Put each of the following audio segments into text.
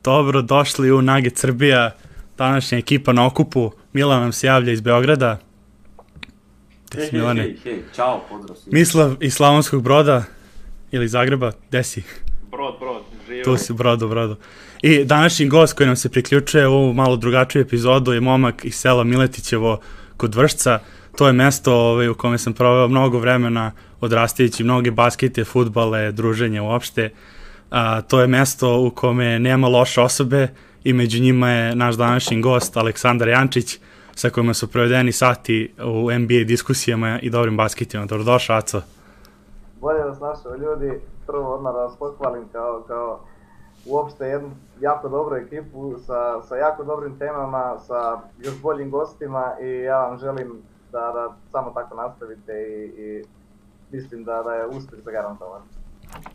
Dobro, došli u Nugget Srbija, današnja ekipa na okupu. Milan nam se javlja iz Beograda. Hej, čao, pozdrav. Mislav iz Slavonskog Broda ili Zagreba, gde si? Brod, živio. Tu si, brodu. I današnji gost koji nam se priključuje u ovu malo drugačiju epizodu je momak iz sela Miletićevo kod Vršca. To je mesto u kome sam proveo mnogo vremena odrastajući mnoge baskete, fudbale, druženje uopšte. To je mesto u kome nema loše osobe i među njima je naš današnji gost Aleksandar Jančić, sa kojima su provedeni sati u NBA diskusijama i dobrim basketima. Dobrodošao, Aco. Bolje vas našao ljudi, prvo odmah da vas pohvalim kao uopšte jednu jako dobru ekipu sa jako dobrim temama, sa još boljim gostima i ja vam želim da samo tako nastavite i mislim da je uspjeh zagarantovan.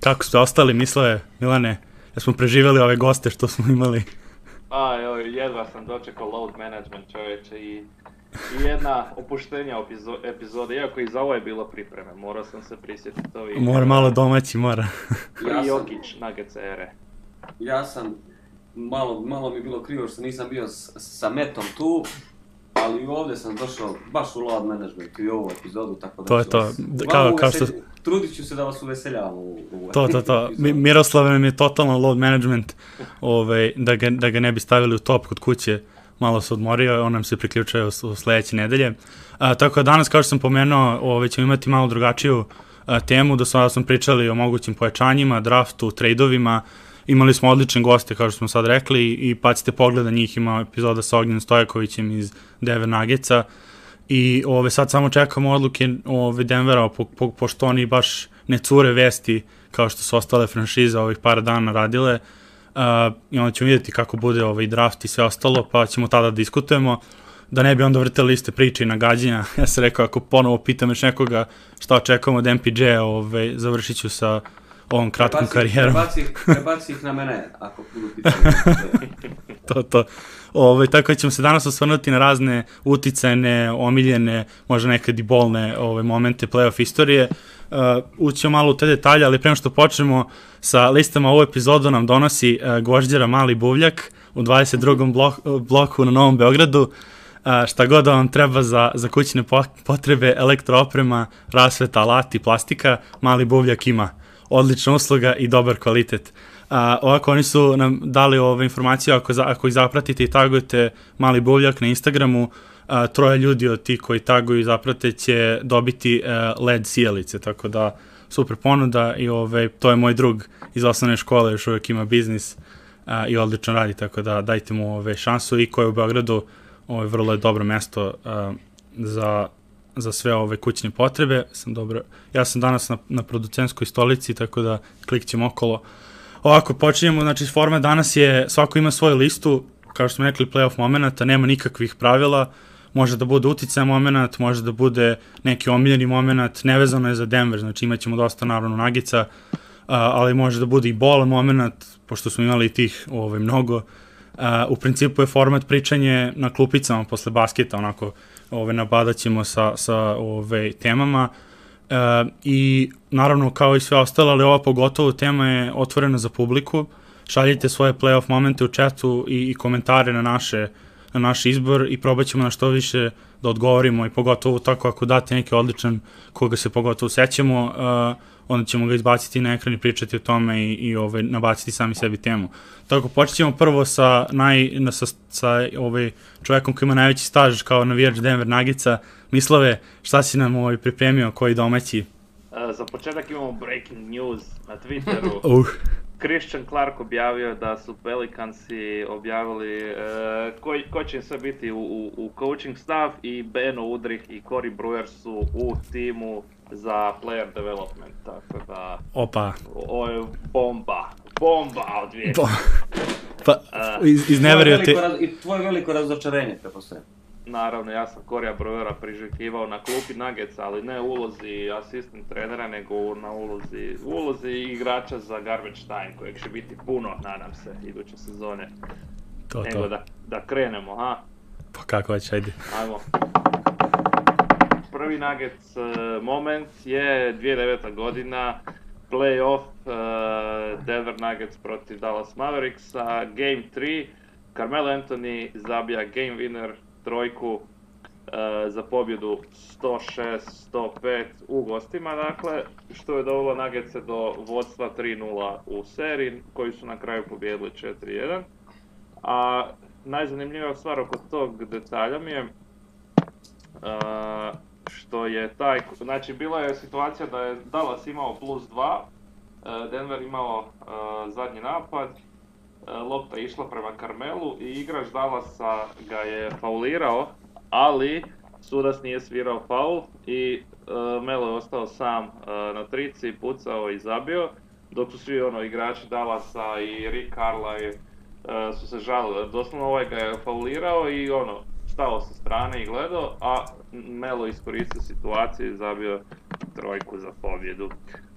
Kako ste ostali, Mislave, Milane? Da smo preživjeli ove goste što smo imali? Jedva sam dočekao load management, čovječe, i jedna opuštenja epizode, iako i za ovo je bilo pripreme, morao sam se prisjetiti ovih... Mora malo domaći, mora. I Jokić, Nuggets ere. Ja sam, malo mi je bilo krivo što nisam bio sa Metom tu, ali ovdje sam došao baš u load management i ovu epizodu, tako da... To je to, kao što... Trudit ću se da vas uveseljavam u To. Miroslav nam je totalno load management, da ga ne bi stavili u top kod kuće, malo se odmorio, on nam se priključuje u sledeće nedelje. Tako da danas, kao što sam pomenuo, ćemo imati malo drugačiju temu, do sada smo pričali o mogućim pojačanjima, draftu, trejdovima, imali smo odlične goste, kao što smo sad rekli, i bacite pogled na njih, ima epizoda sa Ognjenom Stojakovićem iz Denver Nuggetsa, i sad samo čekamo odluke Denvera, pošto oni baš ne cure vesti kao što su ostale franšize ovih par dana radile, i onda ćemo vidjeti kako bude draft i sve ostalo, pa ćemo tada diskutujemo, da ne bi onda vrteli iste priče i nagađenja. Ja sam rekao, ako ponovo pitam još nekoga šta očekujemo od MPJ-a, završit ću sa ovom kratkom karijerom. Prebaci ih na mene, ako budu pitanje. To. Tako ćemo se danas osvrnuti na razne uticajne, omiljene, možda nekad i bolne momente play-off istorije. Ućemo malo u te detalje, ali prema što počnemo sa listama, ovu epizodu nam donosi Gvožđera Mali Buvljak u 22. bloku na Novom Beogradu. Šta god da vam treba za kućne potrebe, elektrooprema, rasveta, alati, plastika, Mali Buvljak ima. Odlična usluga i dobar kvalitet. Ovako, oni su nam dali informaciju, ako ih zapratite i tagujete Mali Buvljak na Instagramu, 3 ljudi od tih koji taguju i zaprate će dobiti LED sijalice, tako da super ponuda i to je moj drug iz osnovne škole, još uvijek ima biznis i odlično radi, tako da dajte mu šansu, i koji je u Beogradu vrlo je dobro mesto za sve ove kućne potrebe. Ja sam danas na producentskoj stolici, tako da klikćemo okolo. Ovako, počinjemo, znači format danas je, svako ima svoju listu, kao što smo rekli, playoff momenata, nema nikakvih pravila, može da bude uticaj moment, može da bude neki omiljeni moment, nevezano je za Denver, znači imat ćemo dosta naravno Nuggetsa, ali može da bude i bolan moment, pošto smo imali tih mnogo. U principu je format pričanje na klupicama posle basketa, onako, nabadat ćemo sa temama, i naravno kao i sve ostalo, ali ova pogotovo tema je otvorena za publiku. Šaljite svoje playoff momente u chatu i komentare na naš izbor i probat ćemo na što više da odgovorimo, i pogotovo tako ako date neki odličan koga se pogotovo sećamo, onda ćemo ga izbaciti na ekran i pričati o tome i nabaciti sami sebi temu. Tako, počet ćemo prvo sa čovekom koji ima najveći staž kao navijač Denver Nuggetsa. Mislave, šta si nam pripremio, koji domaći? Za početak imamo breaking news na Twitteru. Christian Clark objavio da su Pelicansi objavili ko će sve biti u coaching staff, i Beno Udrih i Corey Brewer su u timu za player development, tako da... Opa. Ovo je bomba od vijeka. Izneverio te... I tvoje veliko razočarenje, prepostavljam. Naravno, ja sam Corija Brewera priželjkivao na klupi Nuggetsa, ali ne u ulozi asistent trenera, nego na ulozi igrača za garbage time, kojeg će biti puno, nadam se, iduće sezone. Nego da krenemo, ha? Pa kako već, ajde. Ajmo. Prvi Nuggets moment je 2009. godina, playoff Denver Nuggets protiv Dallas Mavericksa, Game 3, Carmelo Anthony zabija game winner trojku za pobjedu 106-105 u gostima, dakle, što je dovelo Nuggetse do vodstva 3-0 u seriji, koji su na kraju pobijedili 4-1. A najzanimljivija stvar oko tog detalja mi je što je taj, znači bila je situacija da je Dallas imao +2, Denver imao zadnji napad, lopta je išla prema Carmelu i igrač Dallasa ga je faulirao, ali sudac nije svirao faul i Melo je ostao sam na trici, pucao i zabio, dok su svi igrači Dallasa i Rick Carlisle su se žalili. Doslovno ovaj ga je faulirao i stao sa strane i gledao, a Melo iskoristio situaciju i zabio trojku za pobjedu.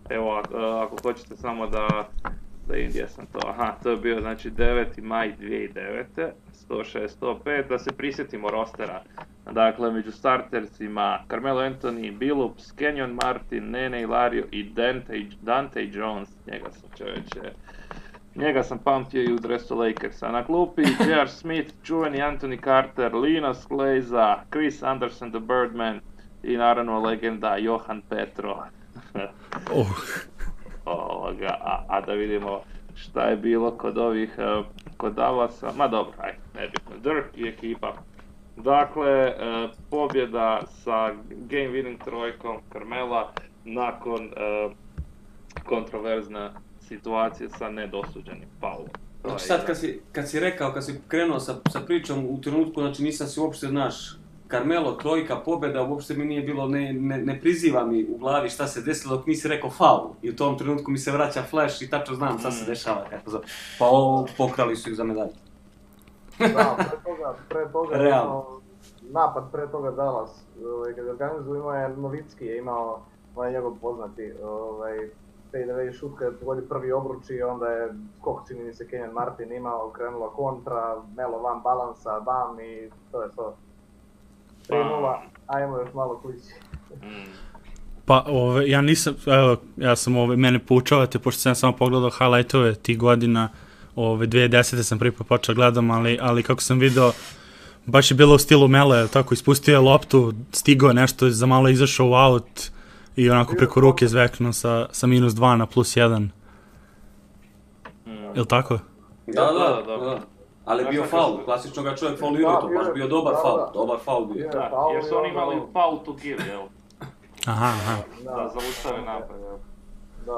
Evo, ako hoćete samo da vidim gdje sam to. To je bio znači 9. maj 2009. 106-105, da se prisjetimo rostera. Dakle, među startersima Carmelo Anthony, Billups, Kenyon Martin, Nene Hilario i Dante Jones. Njega sam pamtio i u dresu Lakersa. Na klupi J.R. Smith, čuveni Anthony Carter, Linus Kleiza, Chris Anderson the Birdman i naravno legenda Johan Petro. A da vidimo šta je bilo kod Dallasa, ma dobro, nebitno, Dirk i ekipa. Dakle, pobjeda sa game winning trojkom Carmela nakon kontroverzne situacije sa nedosuđenim faulom. Znači sad kad si rekao, kad si krenuo sa pričom u trenutku, znači nisam si uopšte, Carmelo, trojka, pobjeda, uopšte mi nije bilo, ne priziva mi u glavi šta se desilo dok nisi rekao faul. I u tom trenutku mi se vraća flash i tačno znam šta se dešava. Pa pokrali su ih za medalju. Da, pre toga napad pre toga Dallas, kad je organizuo imao je Novicki, je imao njegov poznati fadeaway šut kad je pogodio prvi obruč i onda je skok, čini mi se Kenyon Martin imao, krenula kontra, Melo van balansa, bam i to je to. 3-0, ajmo još malo kući. Pa, ja nisam, evo, ja sam, mene poučavate, pošto sam samo pogledao highlightove tih godina, 2010. sam prvi put počeo gledam, ali kako sam video, baš je bilo u stilu Mele, tako, ispustio je loptu, stigao nešto, za malo izašao u out i onako preko ruke zveknuo sa -2 na +1. Jel' tako? Da. Ali je bio faul, klasično ga čovjek faulirao, to baš bio dobar faul bio. Da, jer su oni imali faul to give, jel? Aha. Da zaustave napad, jel?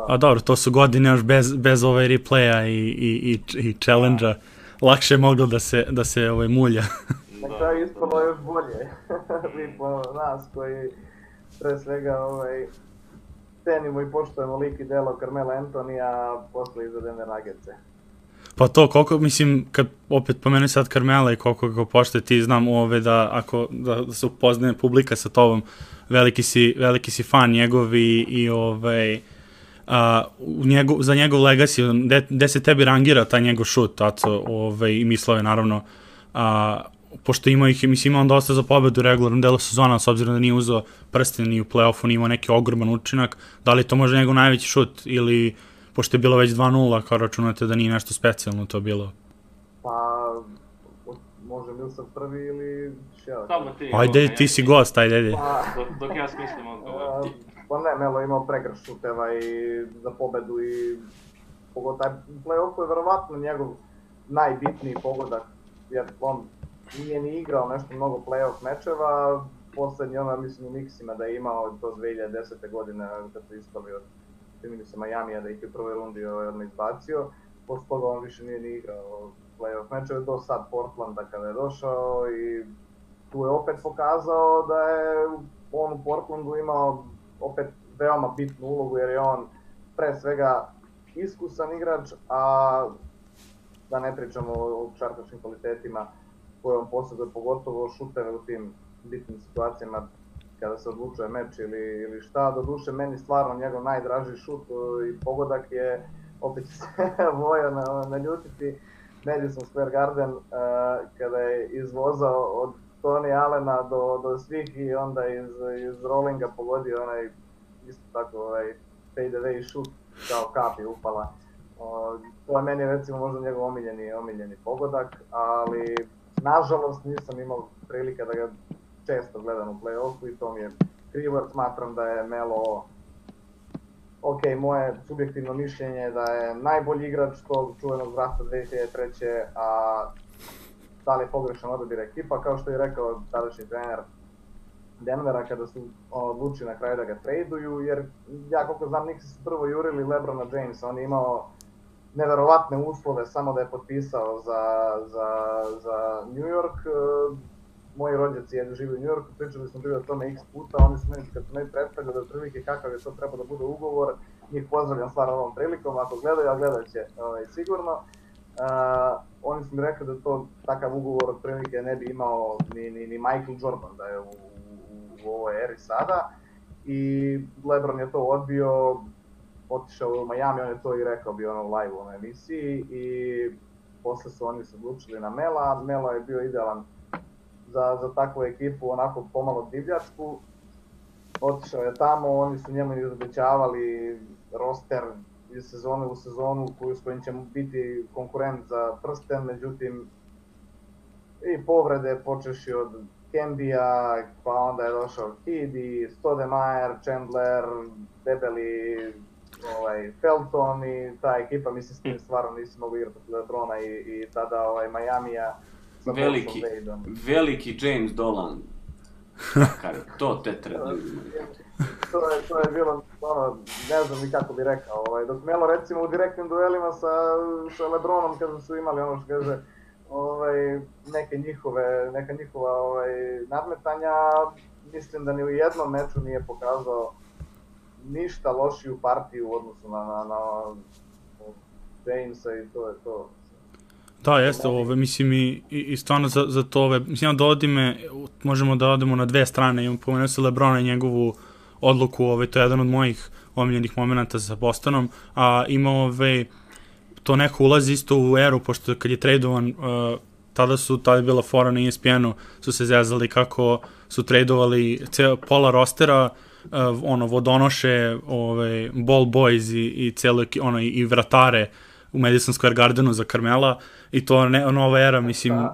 A dobro, to su godine još bez replaya i challenge-a. Lakše je moglo da se mulja. Na kraju ispalo još bolje. Mi po nas koji pre svega cenimo i poštujemo lik i delo Carmela Anthonija, posle iza Denver Nuggetse. Pa to, koliko, mislim, kad opet pomenu sad Carmela i koliko ga poštuje, ti znam da se upoznaje publika sa tobom, veliki si fan njegov i za njegov legacy, gde se tebi rangira taj njegov šut, i mislao je naravno, pošto imao on dosta za pobedu u regularnom delu sezona, s obzirom da nije uzeo prsten ni u play-offu, nije imao neki ogroman učinak, da li to možda njegov najveći šut ili pošto je bilo već 2-0, kao računate da nije nešto specijalno to bilo? Pa, može Milsav prvi ili Šeo? Ajde, ti si gost, ajde. Dok ja smislim odgovor. Pa ne, Melo imao pregrš šuteva i za pobedu i pogodak. Play-off je verovatno njegov najbitniji pogodak, jer on nije ni igrao nešto mnogo play-off mečeva. Poslednji mislim u miksima da je imao do 2010. godine kad su ispali od čini mi se Miamija da ih je u prvoj rundi izbacio, posle toga on više nije ni igrao play-off mečeve do sad Portlanda kada je došao i tu je opet pokazao da je on u Portlandu imao opet veoma bitnu ulogu jer je on pre svega iskusan igrač, a da ne pričamo o šarkaškim kvalitetima koje on posjeduje, pogotovo šuteve u tim bitnim situacijama kada se odlučuje meč ili šta. Doduše, meni stvarno njegov najdraži šut i pogodak je, opet će se Voja naljutiti, Madison Square Garden, kada je izvozao od Tony Allena do svih i onda iz rollinga pogodio onaj isto tako fadeaway šut kao kapi upala. To je meni recimo možda njegov omiljeni pogodak, ali nažalost nisam imao prilike da ga često gledam u play-offu i to mi je krivo, jer smatram da je Melo, ok, moje subjektivno mišljenje je da je najbolji igrač tog čuvenog drafta 2003. A da li je pogrešan odabir ekipa, kao što je rekao tadašnji trener Denvera kada su odlučili na kraju da ga traduju, jer ja koliko znam Knicksi su prvo jurili LeBrona Jamesa, on je imao neverovatne uslove samo da je potpisao za New York. Moji rođaci žive u New Yorku, pričali smo bili o tome x puta, oni su meni kad su meni predstavljali da otprilike kakav je to treba da bude ugovor, njih pozdravljam stvarno ovom prilikom, ako gledaju, a gledat će sigurno. Oni su mi rekli da to takav ugovor otprilike ne bi imao ni Michael Jordan da je u ovoj eri sada, i LeBron je to odbio, otišao u Miami, on je to i rekao, bio ono live u onoj emisiji, i posle su oni se odlučili na Mela. Melo je bio idealan za takvu ekipu, onako pomalo divljačku. Otišao je tamo, oni su njemu izobećavali roster iz sezone u sezonu s kojim će biti konkurent za prsten, međutim i povrede počeši od Kembija, pa onda je došao Kidi, Stoudemire, Chandler, debeli Felton, i ta ekipa, mislim, s tim stvarno nisi mogu igrati od LeBrona i tada Miamija sa veliki, veliki James Dolan. To te treba imati. To je bilo, ne znam ni kako bi rekao, dok Melo recimo u direktnim duelima sa LeBronom kada su imali ono što kaže neka njihova nadmetanja, mislim da ni u jednom meču nije pokazao ništa lošiju partiju u odnosu na Jamesa, i to je to. Da, jeste, mislim i stvarno za to, mislim, dovodi me, možemo da odemo na dve strane, imam pomenuo se LeBrona i njegovu odluku, to je jedan od mojih omiljenih momenta sa Bostonom, a ima to neko ulazi isto u eru, pošto kad je tradovan, tada je bila fora na ESPN-u, su se zezali kako su tradovali pola rostera, vodonoše, ball boys i vratare u Madison Square Gardenu za Carmela, i to nova era, mislim,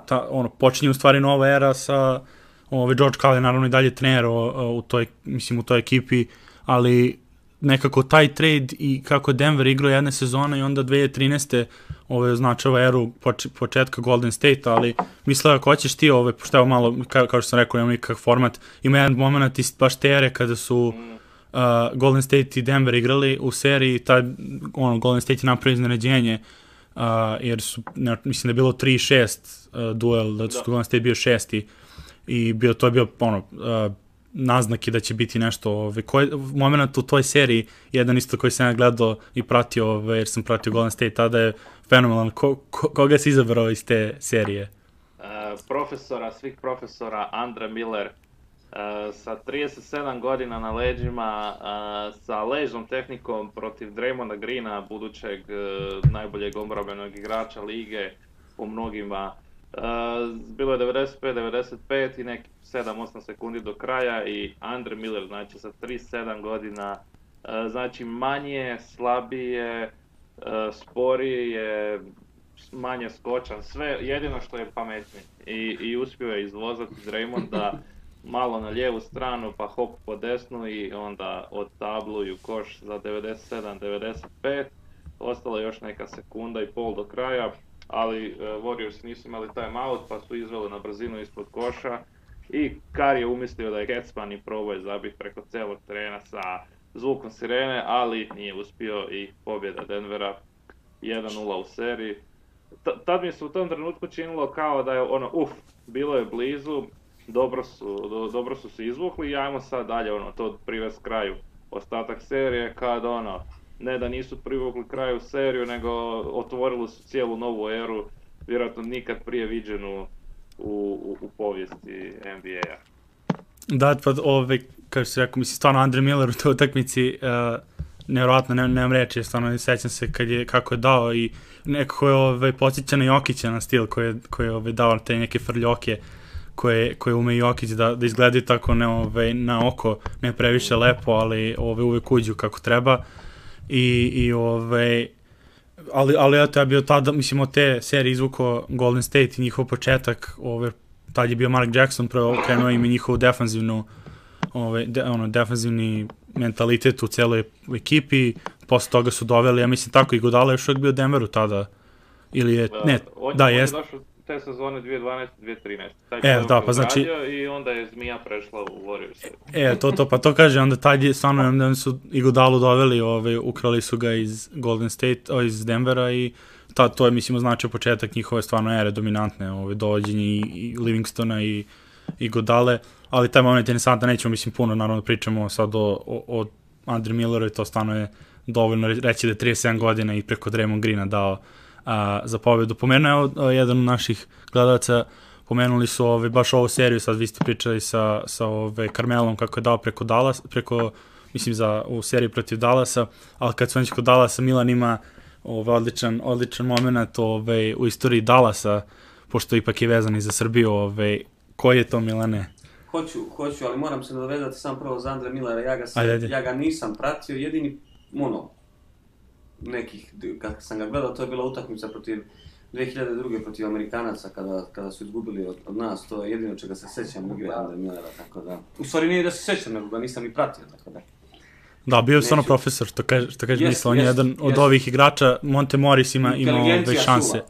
počinje u stvari nova era sa George Karl je naravno i dalje trener u toj ekipi, ali nekako taj trade i kako Denver igrao jedne sezone i onda 2013. označava eru početka Golden State, ali mislila ako hoćeš ti, pošto evo malo, kao što sam rekao, imamo nikakav format, ima jedan moment iz baš te ere kada su Golden State i Denver igrali u seriji, Golden State je napravio iznenađenje, jer mislim da je bilo 3-6 duel, da su Golden State bio šesti, i to je bio naznaki da će biti nešto, moment u toj seriji, jedan isto koji sam ja gledao i pratio, jer sam pratio Golden State, tada je fenomenalan. Koga si izabrao iz te serije? Svih profesora, Andre Miller, sa 37 godina na leđima, sa ležnom tehnikom protiv Draymonda Greena, budućeg najboljeg odbrambenog igrača lige po mnogima. Bilo je 95-95 i neki 7-8 sekundi do kraja, i Andre Miller, znači sa 37 godina, znači manje, slabije, sporije, manje skočan, sve, jedino što je pametniji, i uspio je izvozati Draymonda malo na lijevu stranu, pa hop po desnu, i onda odtabluju koš za 97-95, ostala još neka sekunda i pol do kraja, ali Warriors nisu imali timeout, pa su izveli na brzinu ispod koša, i Kar je umislio da je Ketsman i probao je zabiti preko celog terena sa zvukom sirene, ali nije uspio, i pobjeda Denvera 1-0 u seriji. Tad mi se u tom trenutku činilo kao da je bilo je blizu, dobro su se izvukli, i ajmo sad dalje to privesti kraju. Ostatak serije kad ne da nisu privukli kraju seriju, nego otvorili su cijelu novu eru, vjerojatno nikad prije viđenu u povijesti NBA-a. Da, pa kao što si rekao, mislim, stvarno Andre Miller u toj utakmici, nevjerojatno, nemam reći, stvarno sećam se kako je dao, i nekako je podsjeća na Jokića na stil koji je dao te neke frljoke koje ume Jokić da izgledaju tako na oko, ne previše lepo, ali uvek uđu kako treba. ali eto, ja bio tada, mislim, od te serije izvukao Golden State i njihov početak, tad je bio Mark Jackson, prvo krenuo im i njihovu defanzivni mentalitet u celoj ekipi, posle toga su doveli, ja mislim tako, i Godala još uvijek bio u Denveru tada, ili je, ne, da, jest. On je došao te sezone 2012-2013, taj da, pa znači, i onda je Zmija prešla u Warriors. Pa to kaže, onda tad je stvarno, onda su i Godalu doveli, ukrali su ga iz Golden State, iz Denvera i to je, mislim, označio početak njihove stvarno ere dominantne, dovođenje i Livingstona i Godale, ali taj moment je interesantan, nećemo, mislim, puno, naravno, pričamo sad o Andre Milleru i to stvarno je dovoljno reći da je 37 godina i preko Draymond Greena dao za pobedu. Pomenuo je jedan od naših gledalaca, pomenuli su baš ovu seriju, sad vi ste pričali sa Carmelom kako je dao mislim u seriji protiv Dallasa, ali kad su već kod Dallasa, Milan ima odličan moment u istoriji Dallasa, pošto ipak je vezan i za Srbiju, koji je to, Milane? Hoću, ali moram se nadovezati sam prvo za Andre Millera, ja ga nisam pratio, jedini kada sam ga gledao, to je bila utakmica protiv 2002. protiv Amerikanaca, kada su izgubili od nas, to je jedino čega se sećam igre Andre Millera, tako da, u stvari nije da se sećam, nego ga nisam ni pratio, tako da. Da, bio je stvarno profesor, što kaže misla, on je jedan od ovih igrača, Monte Morris ima šanse.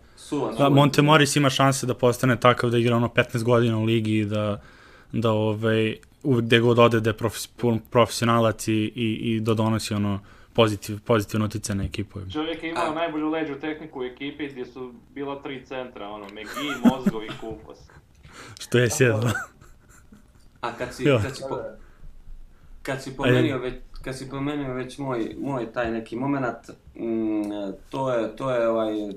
Monte Morris ima šanse da postane takav da igra 15 godina u ligi i da uvek gde god ode da je profesionalac i da donosi pozitivno utice na ekipu. Čovjek je imao najbolju leđu tehniku u ekipi gdje su bila 3 centra, McGee, Mozgov i Kupos. Što je sjedlo. A kad si pomenio već moj taj neki moment, to je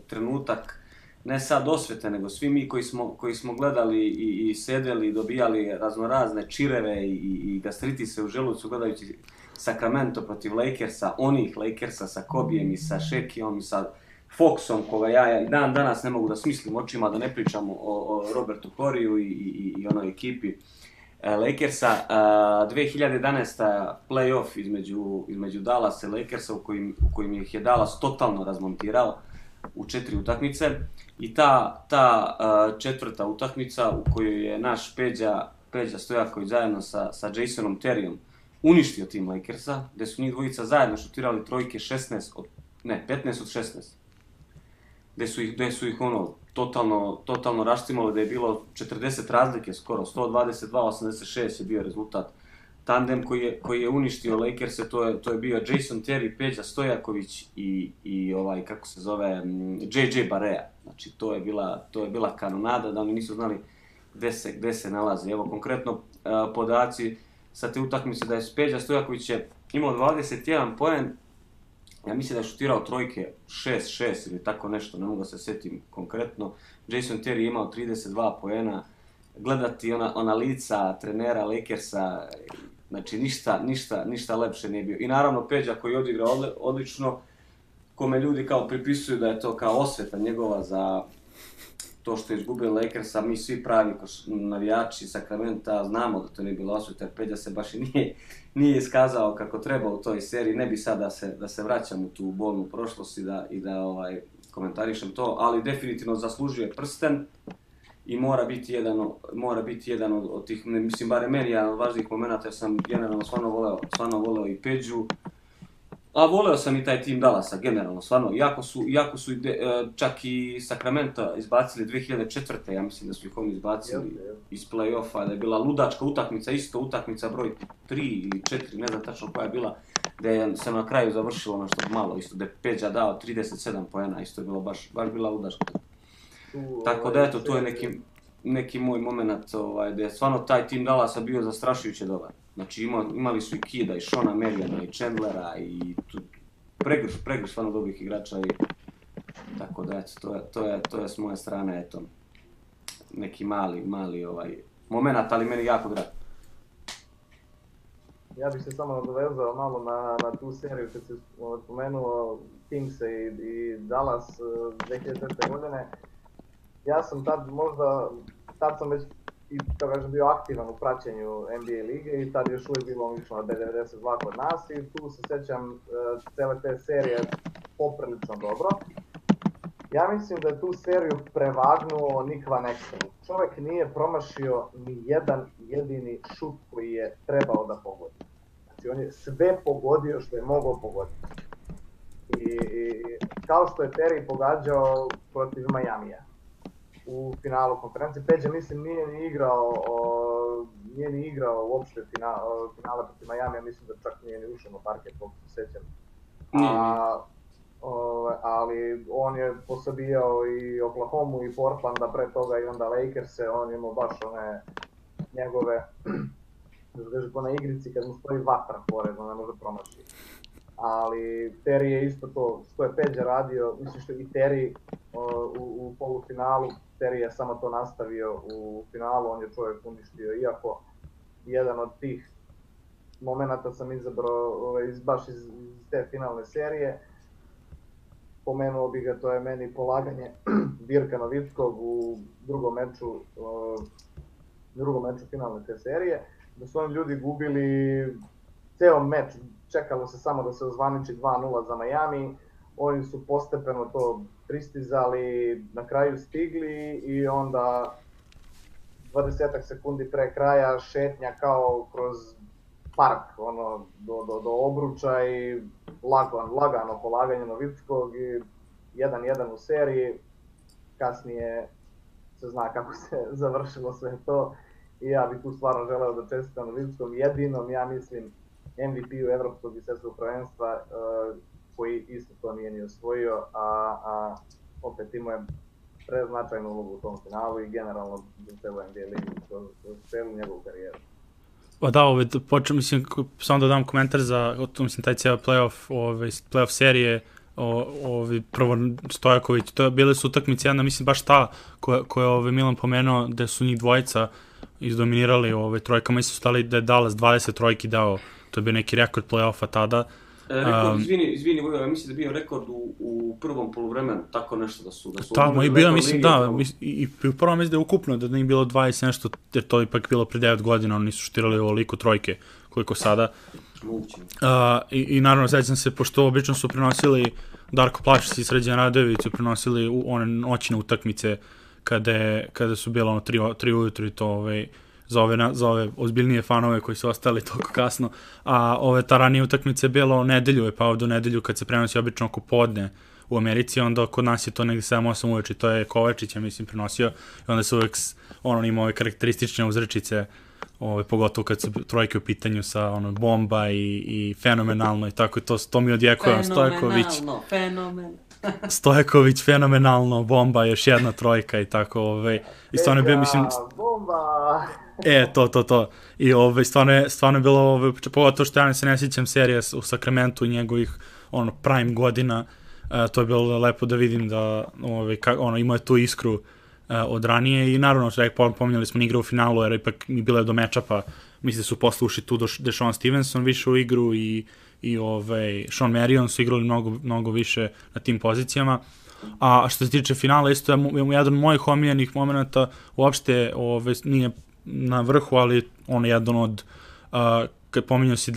trenutak ne sad osvete, nego svi mi koji smo gledali i sedeli i dobijali raznorazne čireve i gastritise u želucu gledajući Sacramento protiv Lakersa, onih Lakersa sa Kobijem i sa Shaqijom i sa Foxom, koga ja i dan danas ne mogu da smislim očima, da ne pričam o Robertu Horryu i onoj ekipi Lakersa. 2011. play-off između Dallasa i Lakersa u kojim ih je Dallas totalno razmontirao u 4 utakmice i ta četvrta utakmica u kojoj je naš Peđa Stojaković zajedno sa Jasonom Terryom uništio tim Lakersa, gde su njih dvojica zajedno šutirali trojke 15 od 16, gde su ih totalno raštimali, da je bilo 40 razlike skoro, 122-86 je bio rezultat. Tandem koji je uništio Lakerse, to je bio Jason Terry, Peđa Stojaković i kako se zove, JJ Barea. Znači, to je bila kanonada, da oni nisu znali gde se nalaze. Evo, konkretno podaci sa te utakmice da je Peđa Stojaković imao 21 poen, ja mislim da je šutirao trojke 6-6 ili tako nešto, ne mogu da se setim konkretno. Jason Terry je imao 32 poena, gledati ona lica trenera Lakersa, znači ništa lepše nije bio. I naravno Peđa koji je odigrao odlično, kome ljudi kao pripisuju da je to kao osveta njegova za to što je izgubio Lakersa, mi svi pravi navijači Sacramenta znamo da to nije bilo osveta, jer Peđa se baš i nije iskazao kako treba u toj seriji, ne bi sad da se vraćam u tu bolnu prošlost i da komentarišem to, ali definitivno zaslužuje prsten i mora biti jedan od tih, mislim, barem meni jedan od važnijih momenta, jer sam generalno stvarno voleo i Peđu, a voleo sam i taj tim Dallasa, generalno, stvarno, iako su čak i Sacramento izbacili 2004. Ja mislim da su ih oni izbacili iz play-offa, da je bila ludačka utakmica, isto utakmica broj 3 ili 4, ne znam tačno koja je bila, gde se na kraju završilo nešto malo, isto, gde je Peđa dao 37 poena, isto je bilo baš bila ludačka. Tako da eto, to je neki moj moment gde je stvarno taj tim Dallasa bio zastrašujuće dobar. Znači imali su i Kida, i Shona Mariona, i Chandlera, i pregrš stvarno dobrih igrača i tako da eto, to je s moje strane, eto, neki mali moment, ali meni jako drag. Ja bih se samo nadovezao malo na tu seriju kad se spomenuo Kingse i Dallas 2004. godine. Ja sam tad sam već i to kažem bio aktivan u praćenju NBA lige i tad još uvijek bilo išlo na B92 kod nas i tu se sjećam cele te serije poprilično dobro. Ja mislim da je tu seriju prevagnuo Nick Van Exel. Čovjek nije promašio ni jedan jedini šut koji je trebao da pogodi. Znači on je sve pogodio što je mogao pogoditi. I kao što je Terry pogađao protiv Majamija u finalu konferencije, Peđa mislim nije ni igrao uopšte finale protiv Majamija, mislim da čak nije ni ušao na parket, koliko se sjećam. Ali on je posabijao i Oklahomu i Portlanda pre toga i onda Lakers-e, on imao baš one njegove, ko na igrici kad mu stoji vatra pored, on ne može promašiti. Ali Terry je isto to što je Peđa radio, mislim što i Terry u polufinalu, Terry je samo to nastavio u finalu, on je čovjek uništio, iako jedan od tih momenata sam izabrao baš iz te finalne serije. Pomenuo bi ga, to je meni polaganje Dirka Nowitzkog u drugom meču finalne te serije, da su oni ljudi gubili ceo meč, čekalo se samo da se ozvaniči 2-0 za Miami, oni su postepeno to pristizali, na kraju stigli i onda 20 sekundi pre kraja šetnja kao kroz park, do obruča i lagano polaganje Nowitzkog i 1-1 u seriji. Kasnije se zna kako se završilo sve to i ja bih tu stvarno želeo da čestitam Nowitzkom jedinom, ja mislim, MVP-u Evropskog i svjetskog prvenstva koji isto to nije ni osvojio, a opet imao je preznačajnu ulogu u tom finalu i generalno za celu NBA ligu, celu njegovu karijeru. Pa da, mislim, samo da dam komentar za, mislim, taj cijel playoff serije, prvo Stojaković, bile su utakmice, jedna, mislim, baš ta koja je Milan pomenuo, da su njih dvojica izdominirali trojkama, mislim, su stali da je Dallas 20 trojki dao, to je bio neki rekord play-offa tada. Rekord, izvini Vojvo, ja mislim da je bio rekord u prvom poluvremenu, tako nešto da su... Tamo i bilo, mislim, da, i u prvom mislim da je ukupno, da nije bilo 20 nešto, jer to ipak bilo pre 9 godina, oni nisu štirali ovoliko trojke, koliko sada. I naravno, sećam se, pošto obično su prenosili Darko Plašić i Sređan Radojević su prenosili one noćne utakmice kada su bilo 3 ujutru i to za ove ozbiljnije fanove koji su ostali toliko kasno, a ta ranije utakmice je bilo nedelju, je pao do nedelju kad se prenosi obično oko podne u Americi, onda kod nas je to negdje 7-8 uveče, to je Kovačić, ja mislim, prenosio i onda se uvek ima ove karakteristične uzrečice, pogotovo kad su trojke u pitanju sa bomba i fenomenalno i tako, to mi odjekuje Stojaković, fenomenalno, bomba, još jedna trojka i tako, i stvarno je bio, mislim... Bomba! To. I stvarno je bilo, pogotovo što ja se ne sjećam serija u Sacramentu i njegovih prime godina, to je bilo lepo da vidim da imao je tu iskru od ranije i naravno, pominjali smo igra u finalu, jer ipak mi bilo je do mečapa, mislim da su posle ušli tu Deshaun Stevenson više u igru i Sean Marion su igrali mnogo više na tim pozicijama. A što se tiče finala, isto je jedan od mojih omiljenih momenta, uopšte nije na vrhu, ali on je jedan od, kad pominjao si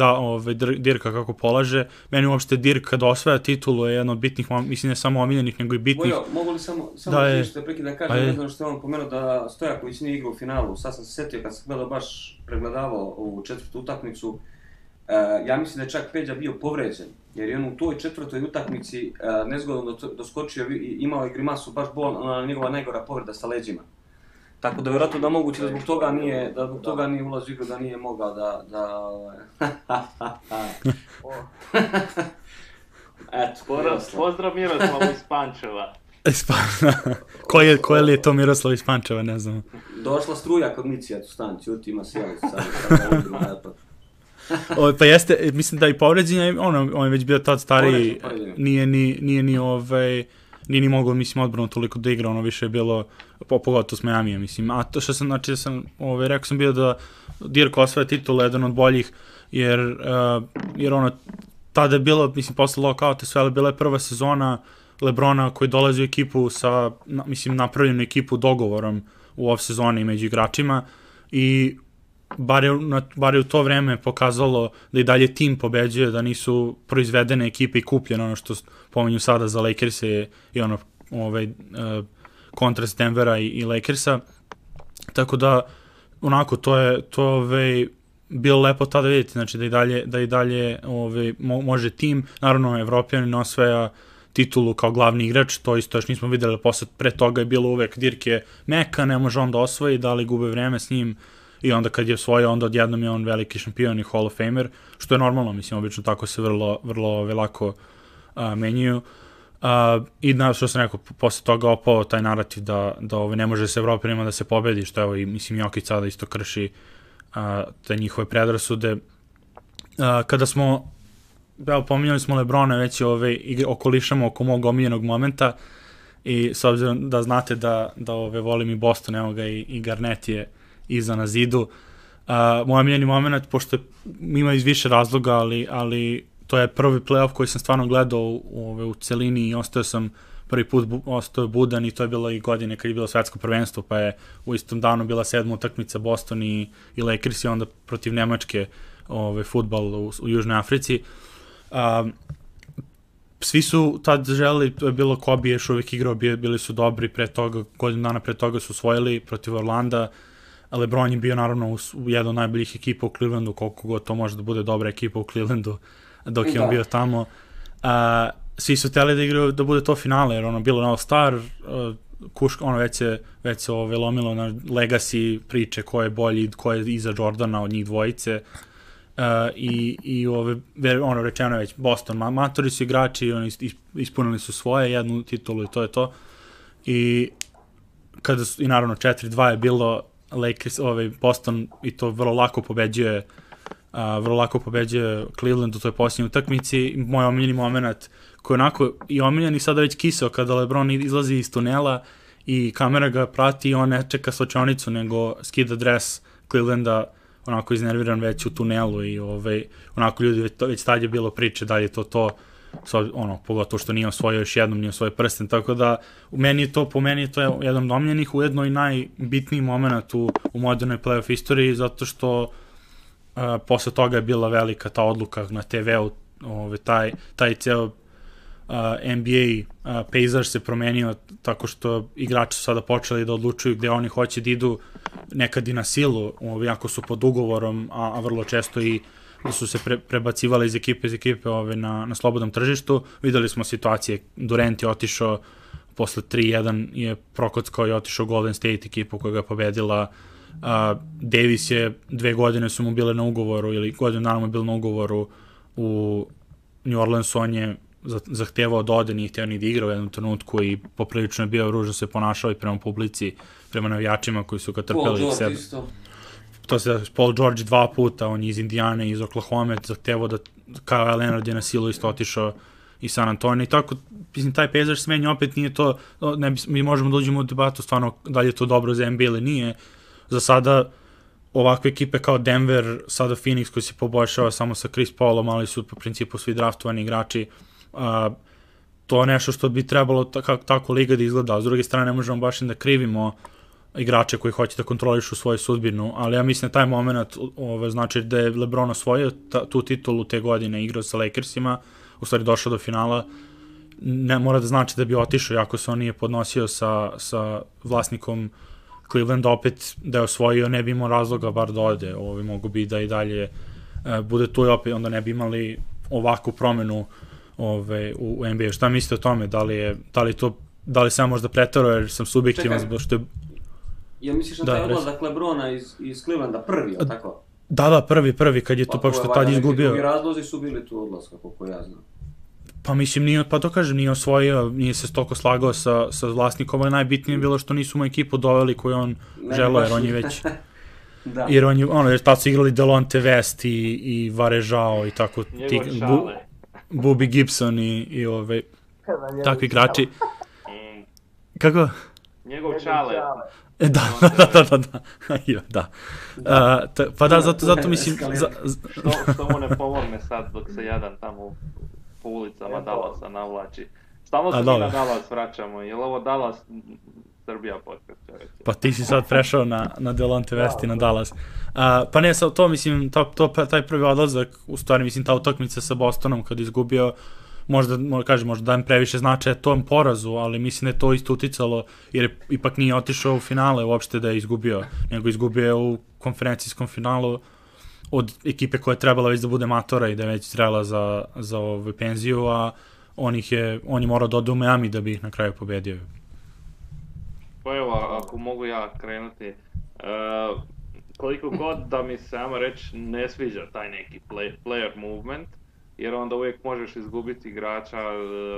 Dirka kako polaže, meni uopšte Dirk kad osvaja titulu je jedan od bitnih, mislim ne samo omiljenih, nego i bitnih. Bojo, mogu li samo da prekid da kažem, ne znam što je on pomenuo da Stojaković nije igrao u finalu, sad sam se setio kad sam baš pregledavao ovu četvrtu utakmicu, ja mislim da je čak Peđa bio povređen, jer je on u toj četvrtoj utakmici nezgodno doskočio i imao je grimasu baš bolna, njegova najgora povreda sa leđima. Tako da vjerojatno da moguće da zbog toga nije ulazio u igru, da nije mogao Eto, pozdrav Miroslavu iz Pančeva. Koje li je to Miroslav iz Pančeva, ne znam. Došla struja kod Micija, tu stan, ćuti, ima sjelicu sad. Pa jeste, mislim da i povređenje, on je već bio tad stariji, nije ni mogao, mislim, odbrano toliko da igra, više je bilo, pogotovo s Miamija, mislim, a to što sam, znači, rekao sam bio da Dirk osvaja titul, jedan od boljih, jer tada je bilo, mislim, posle lokauta sve, ali bila je prva sezona LeBrona koji dolazi u ekipu sa, mislim, napravljenu ekipu dogovorom u off sezoni među igračima, i bar je u to vreme pokazalo da i dalje tim pobeđuje, da nisu proizvedene ekipe i kupljene, ono što pominju sada za Lakers i ono kontrast Denvera i Lakersa. Tako da, onako, to je bilo lepo tada vidjeti, znači da i dalje može tim, naravno Evropljanin osvaja titulu kao glavni igrač, to isto još nismo videli, pre toga je bilo uvek Dirk meka, ne može on da osvoji, da li gube vreme s njim, i onda kad je osvojio, onda odjednom je on veliki šampion i Hall of Famer, što je normalno, mislim, obično tako se vrlo lako menjaju. I što sam rekao, posle toga opao taj narativ da ne može se Evropljanima da se pobedi, što evo i mislim Jokić sada isto krši te njihove predrasude. Kada smo, pominjali smo Lebrona, već okolišamo oko mog omiljenog momenta, i s obzirom da znate da volim i Boston, evo ga i Garnett je iza na zidu. Moj omiljeni moment, pošto ima iz više razloga, ali to je prvi playoff koji sam stvarno gledao u celini i prvi put ostao budan, i to je bilo i godine kad je bilo svetsko prvenstvo, pa je u istom danu bila 7. utakmica Boston i Lakers, i onda protiv Nemačke fudbal u Južnoj Africi. Svi su tad želeli, to je bilo Kobe još uvijek igrao, bili su dobri godinu dana pre toga su osvojili protiv Orlanda. LeBron je bio naravno u jednom od najboljih ekipa u Clevelandu, koliko god to može da bude dobra ekipa u Clevelandu dok je on bio tamo. Svi su hteli da igraju, da bude to finale, jer bilo na All-Star, već se lomilo na legacy priče ko je bolji, ko je iza Jordana od njih dvojice. Rečeno je već Boston, matori su igrači, oni ispunili su svoje, jednu titulu i to je to. I naravno 4-2 je bilo, Lakers, Boston, i to vrlo lako pobeđuje Cleveland u toj posljednjoj utakmici. Moj omiljeni moment, koji je onako i omiljen i sada već kisao, kada LeBron izlazi iz tunela i kamera ga prati i on ne čeka slučajnicu, nego skida dres Clevelanda, onako iznerviran već u tunelu, i onako ljudi već tad je bilo priče da je to pogotovo što nije osvojio još jednom, nije osvojio prsten, tako da po meni je to jedan od omiljenih, ujedno i najbitniji moment u modernoj playoff istoriji, zato što posle toga je bila velika ta odluka na TV-u, taj ceo NBA pejzaž se promenio tako što igrači su sada počeli da odlučuju gde oni hoće da idu, nekad i na silu, jako su pod ugovorom, a vrlo često i da su se prebacivali iz ekipe na slobodnom tržištu. Videli smo situacije, Durant je otišao posle 3-1, je prokockao i otišao Golden State ekipu koja ga je pobedila. Davis je 2 godine su mu bile na ugovoru, ili godinu dana mu je bilo na ugovoru u New Orleansu, on je zahtevao da ode, nije hteo ni da igra u jednom trenutku i poprilično je bio ružno se ponašao i prema publici, prema navijačima koji su ga trpeli. Paul George isto. To se Paul George 2 puta, on je iz Indijane, iz Oklahoma, zahtevao da Kawhi Leonard je na silu isto otišao i San Antonio, i tako, mislim, taj pejzaž smenja, opet nije to, mi možemo da uđemo u debatu stvarno da li je to dobro za NBA ili nije. Za sada ovakve ekipe kao Denver, sada Phoenix koji se poboljšava samo sa Chris Paulom, ali su po principu svi draftovani igrači, to je nešto što bi trebalo tako liga da izgleda. A s druge strane ne možemo baš da krivimo igrače koji hoće da kontrolišu svoju sudbinu, ali ja mislim da taj moment znači da je LeBron osvojio tu titulu te godine, igrao sa Lakersima, u stvari došao do finala, ne mora da znači da bi otišao, jako se on nije podnosio sa vlasnikom Clevelanda, opet da je osvojio, ne bi imao razloga bar da ode, mogu bi da i dalje bude tu, i opet onda ne bi imali ovakvu promenu u NBA. Šta mislite o tome? Da li sam možda pretarao, jer sam subjektivan zbog što je... Ja misliš na taj odlazak LeBrona iz Clevelanda prvi, ili tako? Da, prvi, kad je to pa što je tad izgubio. Neki razlozi su bili tu odlaska, koliko ja znam. Pa mislim, nije osvojio, nije se toliko slagao sa vlasnikom, ali najbitnije je bilo što nisu mu ekipu doveli koju on želeo, jer on je već... Da. Jer tad su igrali Delonte West i Varejao i tako, Bobby Gibson i takvi igrači. Kako? Njegov čale. Da. Pa da, zato mislim... Što mu ne pomogne sad dok se jadan tamo po ulicama Dallasa navlači. Stalno se mi na Dallas vraćamo, jer ovo Dallas Srbija podcast. Pa ti si sad prešao na Delonte West i na Dallas. Pa ne, to mislim, taj prvi odlazak, u stvari mislim ta utakmica sa Bostonom kad izgubio, možda dajem previše značaja tom porazu, ali mislim da je to isto uticalo, jer ipak nije otišao u finale uopšte da je izgubio, nego izgubio je u konferencijskom finalu od ekipe koja je trebala već da bude matora i da je već zrela za penziju, a on je morao da ode u Miami da bi ih na kraju pobedio. Pa evo, ako mogu ja krenuti, koliko god da mi se, ajmo reći, ne sviđa taj neki player movement, jer onda uvijek možeš izgubiti igrača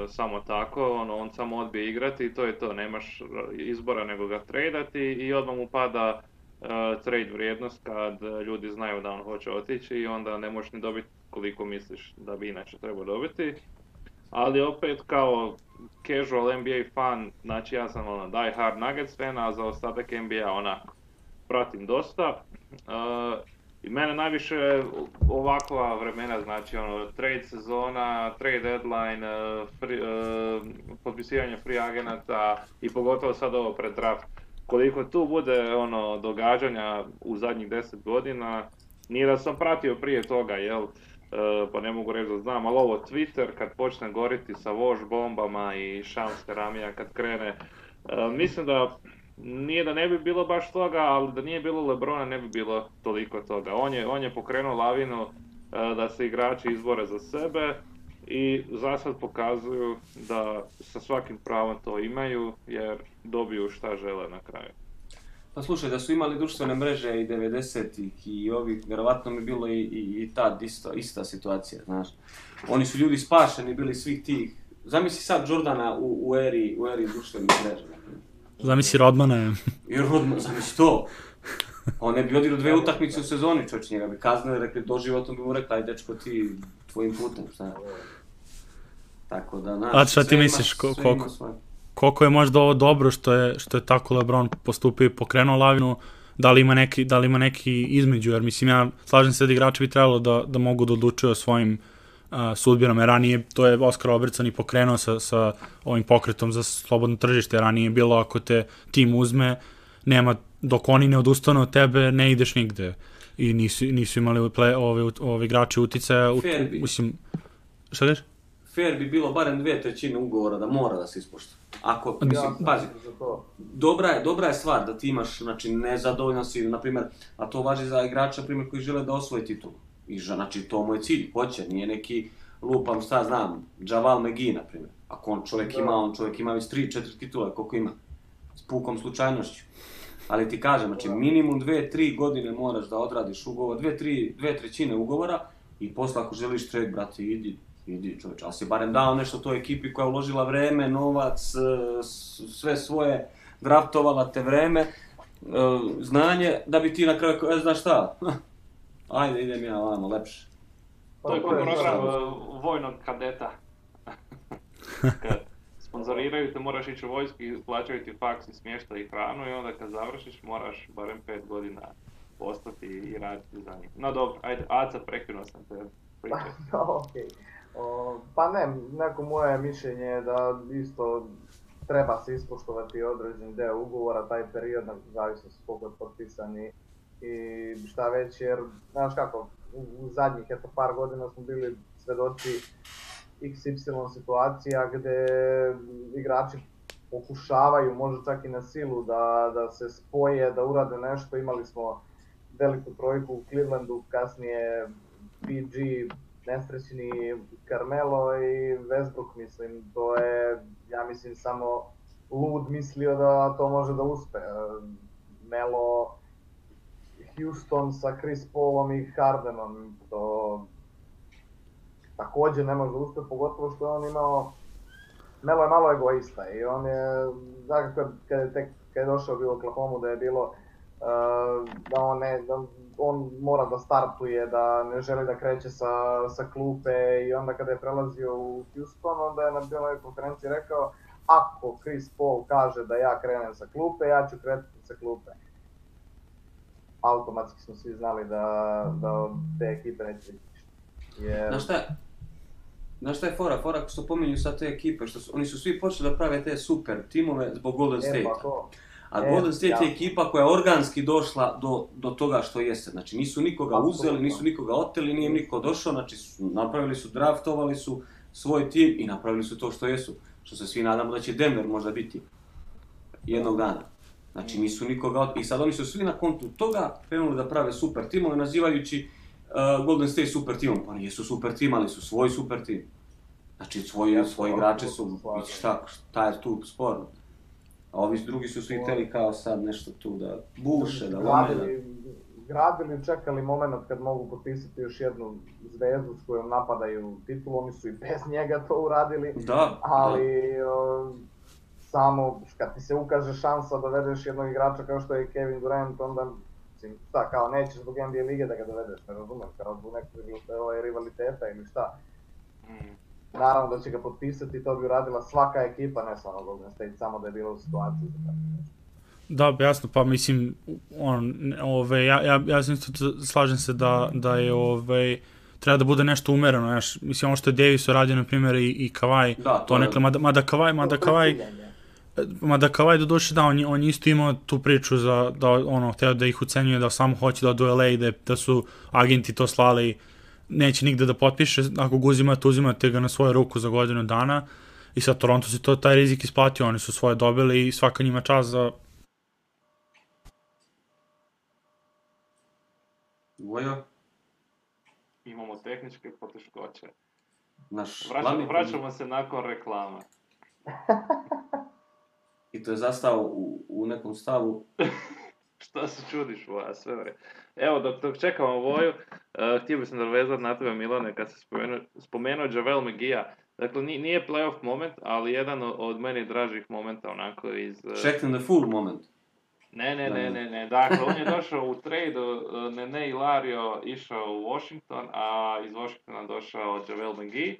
samo tako, on samo odbije igrati i to je to, nemaš izbora nego ga tradati i odmah mu pada trade vrijednost kad ljudi znaju da on hoće otići i onda ne možeš ni dobiti koliko misliš da bi inače trebao dobiti. Ali opet kao casual NBA fan, znači ja sam die hard Nuggets fan, a za ostatak NBA onako pratim dosta. I mene najviše ovakva vremena, znači trade sezona, trade deadline, potpisivanje free agenata i pogotovo sad ovo pred draft. Koliko tu bude događanja u zadnjih 10 godina, nije da sam pratio prije toga, jel? Pa ne mogu reći da znam, ali ovo Twitter kad počne goriti sa Voš bombama i Shams Keramija kad krene, mislim da nije da ne bi bilo baš toga, ali da nije bilo LeBrona ne bi bilo toliko toga. On je pokrenuo lavinu da se igrači izbore za sebe i zasad pokazuju da sa svakim pravom to imaju jer dobiju šta žele na kraju. Pa slušaj, da su imali društvene mreže i 90-ih i ovih, vjerovatno mi bilo i tad ista situacija, znaš. Oni su ljudi spašeni bili svih tih. Zamisli sad Jordana u eri društvenih mreža. Zamisli Rodmana. I Rodman, zamisli to. On ne bi odigrao 2 utakmice u sezoni, čovječ, njega bi kaznili, rekli, doživotno bi mu rekli, aj dečko ti tvojim putem, šta. Tako da, znaš, a šta ti misliš, koliko je možda ovo dobro što je tako LeBron postupio i pokrenuo lavinu, da li ima neki između, jer mislim ja slažem se da igrači bi trebalo da mogu da odlučuju o svojim sudbinom, jer ranije to je Oskar Robertson i pokrenuo sa ovim pokretom za slobodno tržište, ranije je bilo ako te tim uzme, nema, dok oni ne odustanu od tebe, ne ideš nigde i nisu imali ove igrači uticaja, mislim, šta kažeš? Fair bi bilo barem 2/3 ugovora da mora da se ispoštuje. Ako, mislim, pazi, dobra je stvar da ti imaš, znači, nezadovoljan si, na primjer, a to važi za igrača, na primjer, koji žele da osvoje titulu. I, znači, to mu je cilj, hoće, nije neki lupam, šta znam, Javal McGee, na primjer. Ako čovjek ima već 3-4 titule, koliko ima, s pukom slučajnošću. Ali ti kažem, znači, minimum 2-3 godine moraš da odradiš ugovor, 2/3 ugovora i posle ako želiš trade, brate, idi čovječ, ali si barem dao nešto toj ekipi koja je uložila vreme, novac, sve svoje, draftovala te vreme, znanje, da bi ti na kraju, znaš šta, ajde idem ja vamo, lepše. To je program vojnog kadeta. Kad sponzoriraju te, moraš ići u vojsku i plaćaju ti faks i smještaj i hranu i onda kad završiš moraš barem 5 godina ostati i raditi za njih. No dobro, ajde, Aca, prekinuo sam te pričati. Okej. Pa ne, neko moje mišljenje je da isto treba se ispoštovati određen deo ugovora, taj period, zavisno se koliko je potpisani i šta već, jer, znaš kako, u zadnjih par godina smo bili svedoci XY situacija gdje igrači pokušavaju, možda čak i na silu, da se spoje, da urade nešto. Imali smo veliku trojku u Clevelandu, kasnije PG, nesrećni Carmelo i Westbrook, mislim, to je, ja mislim, samo lud mislio da to može da uspe. Melo, Houston sa Chris Paulom i Hardenom, to također ne može da uspe, pogotovo što je on imao, Melo je malo egoista i on je, dakle, kad je došao u Oklahomu da je bilo da on mora da startuje, da ne želi da kreće sa klupe i onda kada je prelazio u Houston, onda je na biloj konferenciji rekao ako Chris Paul kaže da ja krenem sa klupe, ja ću kretati sa klupe. Automatski smo svi znali da od te ekipe neće biti ništa. Znaš šta? Znaš šta je fora? Fora što pominju sad te ekipe, oni su svi počeli da prave te super timove zbog Golden State-a. A Golden State je ekipa koja je organski došla do toga što jeste. Znači nisu nikoga uzeli, nisu nikoga oteli, nije im niko došao, znači napravili su, draftovali su svoj tim i napravili su to što jesu. Što se svi nadamo da će Denver možda biti jednog dana. Znači nisu nikoga i sad oni su svi na kontu toga krenuli da prave super timove nazivajući Golden State super timom. Pa nisu super tim, ali su svoj super tim. Znači svoji igrači su, šta je tu sporno. A ovi drugi su svi hteli kao sad nešto tu da buše, da lome. Gradili, čekali moment kad mogu potpisati još jednu zvezdu s kojom napadaju titulu, oni su i bez njega to uradili. Ali samo kad ti se ukaže šansa da dovedeš jednog igrača kao što je Kevin Durant, onda šta, kao nećeš zbog NBA lige da ga dovedeš, ne razumem, kao zbog nekog rivaliteta ili šta. Naravno da će ga potpisati, to bi uradila svaka ekipa, ne samo Golden State, samo da je bila u situaciji za tako nešto. Da, jasno, pa mislim, ja slažem se da je, treba da bude nešto umereno, znaš, mislim, ono što je Davis uradio, na primjer, i Kawhi, to nekle, mada Kawhi do duše, da, on isto imao tu priču da, hteo da ih ucenjuje, da samo hoće da odu u LA, da su agenti to slali, neće nigde da potpiše, ako ga uzimate ga na svoju ruku za godinu dana, i sad Toronto se taj rizik isplatio, oni su svoje dobili i svaka njima čast za... Vojo? Imamo tehničke poteškoće. Vraćamo se nakon reklama. I to je zastao u nekom stavu. Šta se čudiš, Voja, sve vre. Evo, dok čekamo Voju, htio bi se nadovezati na tebe, Milane, kad se spomenuo JaVale McGee-a. Dakle, nije playoff moment, ali jedan od meni dražih momenta, onako iz... Checked in the full moment. Ne. Dakle, on je došao u trade-u, Nene Hilario išao u Washington, a iz Washingtona došao JaVale McGee.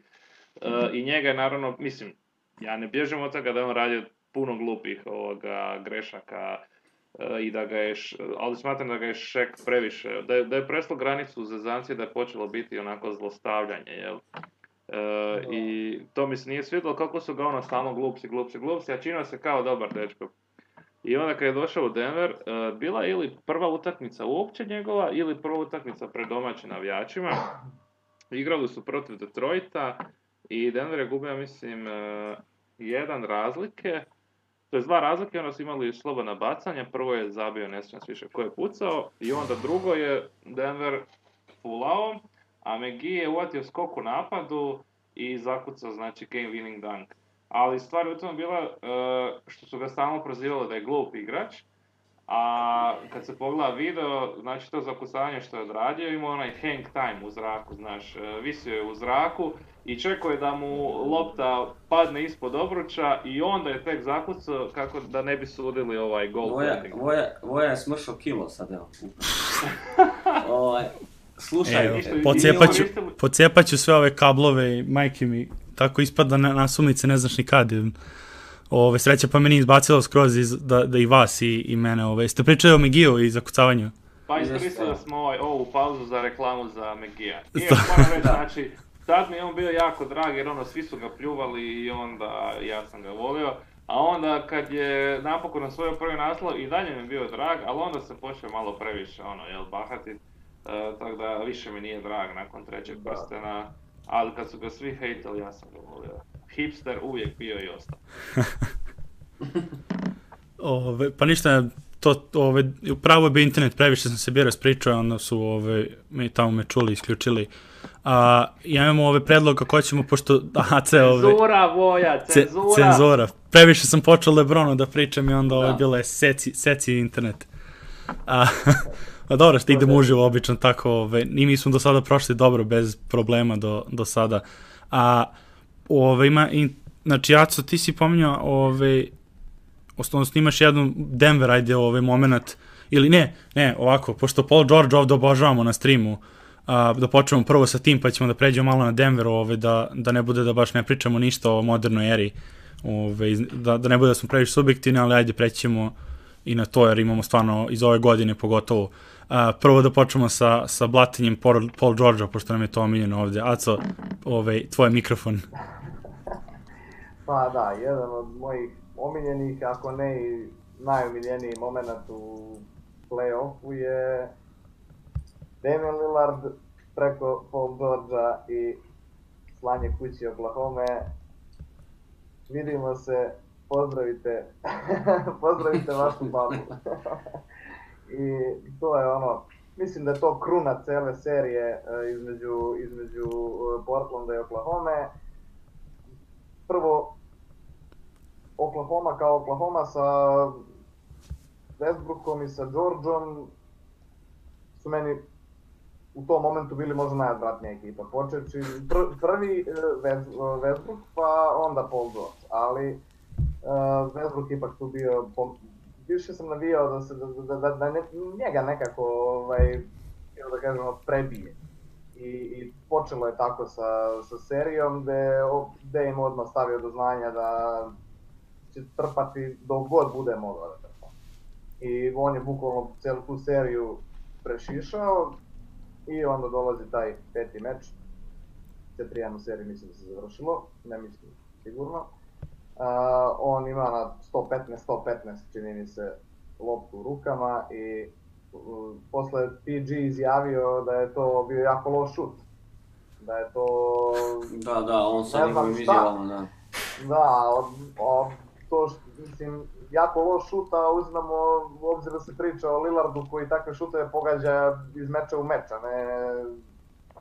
I njega je naravno, mislim, ja ne bježim od toga da je on radio puno glupih grešaka i da ga je, ali smatram da ga je Shaq previše, da je preslo granicu u zezancije, da je počelo biti onako zlostavljanje, jel? I to mi se nije svidjelo kako su ga stalno glupsi, a činio se kao dobar dečko. I onda kad je došao u Denver, bila je ili prva utakmica uopće njegova, ili prva utakmica pred domaćim navijačima. Igrali su protiv Detroita i Denver je gubio, mislim, 1 razlike. To je 2 razlike, onda su imali slobodna bacanja. Prvo je zabio, ne sjećam više ko je pucao, i onda drugo je Denver fulao, a McGee je uvatio skok u napadu i zakucao, znači, game winning dunk. Ali stvar je u tom bila što su ga stalno prozivali da je glup igrač, a kad se pogleda video, znači to zakucavanje što je odradio, ima onaj hang time u zraku, znaš, visio je u zraku i čekao je da mu lopta padne ispod obruča i onda je tek zakucao kako da ne bi sudili ovaj goal. Voja je smršao kilo sad, evo. Slušaj, pocepat ću sve ove kablove i majke mi, tako ispada na sumice, ne znaš ni kad. Sreća pa meni izbacilo skroz da i vas i mene. Ste pričali o McGee-u i zakucavanju? Pa iskoristili smo ovu pauzu za reklamu za McGee-a. I moram reći, znači, tad mi je on bio jako drag jer svi su ga pljuvali i onda ja sam ga volio. A onda kad je napokon osvojio prvi naslov i dalje mi je bio drag, ali onda se počeo malo previše bahatit. Tako da više mi nije drag nakon 3. prstena, ali kad su ga svi hejtali, ja sam ga volio. Hipster uvijek bio i ostao. Pa ništa, upravo je bio internet, previše sam se bio raspričao, onda su tamo me čuli, isključili. Ja imamo predlog kako ćemo, pošto... Cenzura, Voja, cenzura. Previše sam počeo Lebronu da pričam i onda bilo je seci internet. Pa dobro, što idemo uživo obično tako, i mi smo do sada prošli dobro, bez problema do sada. Znači, Jaco, ti si pominjao, odnosno imaš jedan Denver, ajde, moment, ili ne, ovako, pošto Paul George ovdje obožavamo na streamu, da počnemo prvo sa tim, pa ćemo da pređemo malo na Denver, da ne bude da baš ne pričamo ništa o modernoj eri, da ne bude da smo previše subjektivni, ali ajde prećemo i na to, jer imamo stvarno iz ove godine pogotovo. Prvo da počnemo sa blatinjem Paul Georgea, pošto nam je to omiljeno ovdje. Aco, tvoj mikrofon. Pa da, jedan od mojih omiljenih, ako ne i najomiljeniji moment u play-offu je Damian Lillard preko Paul Georgea i slanje kući Oklahoma. Vidimo se, pozdravite vašu babu. I to je ono, mislim da je to kruna cele serije između Portlanda i Oklahoma. Prvo, Oklahoma kao Oklahoma sa Westbrookom i sa Georgeom su meni u tom momentu bili možda najodvratnija ekipa. Počeći prvi Westbrook, pa onda Paul George, ali Westbrook ipak tu bio, više sam navijao da njega nekako, da kažemo, prebije. I počelo je tako sa serijom, gde im odmah stavio do znanja da će trpati dok god bude mogao da trpa. I on je bukvalno cijelu tu seriju prešišao i onda dolazi taj peti meč. 4-1 u seriji mislim da se završilo, ne mislim sigurno. On ima na 115 čini mi se loptu u rukama i posle PG izjavio da je to bio jako loš šut. Da je to... Da, on sa njegovim izjavama, da. Da, to mislim, jako loš šut, a uzmemo u obzir da se priča o Lillardu koji takve šutove pogađa iz meča u meč, a ne...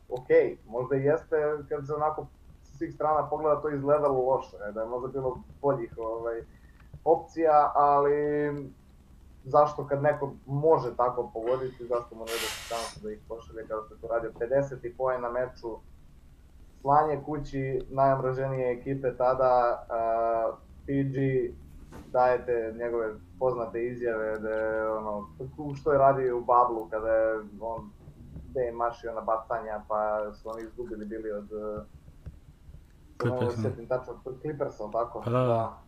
Okej, možda i jeste kad se onako sa svih strana pogleda to izgledalo loše, da je možda bilo boljih opcija, ali zašto kad neko može tako pogoditi, zašto mu ne da se šansu da ih pošalje kao što je to radio 50 poena na meču, slanje kući najomraženije ekipe tada, PG, dajete njegove poznate izjave da je ono, što je radio u Bablu kada je on je mašio na bacanja pa su oni izgubili bili od Clippersa, tako? Da.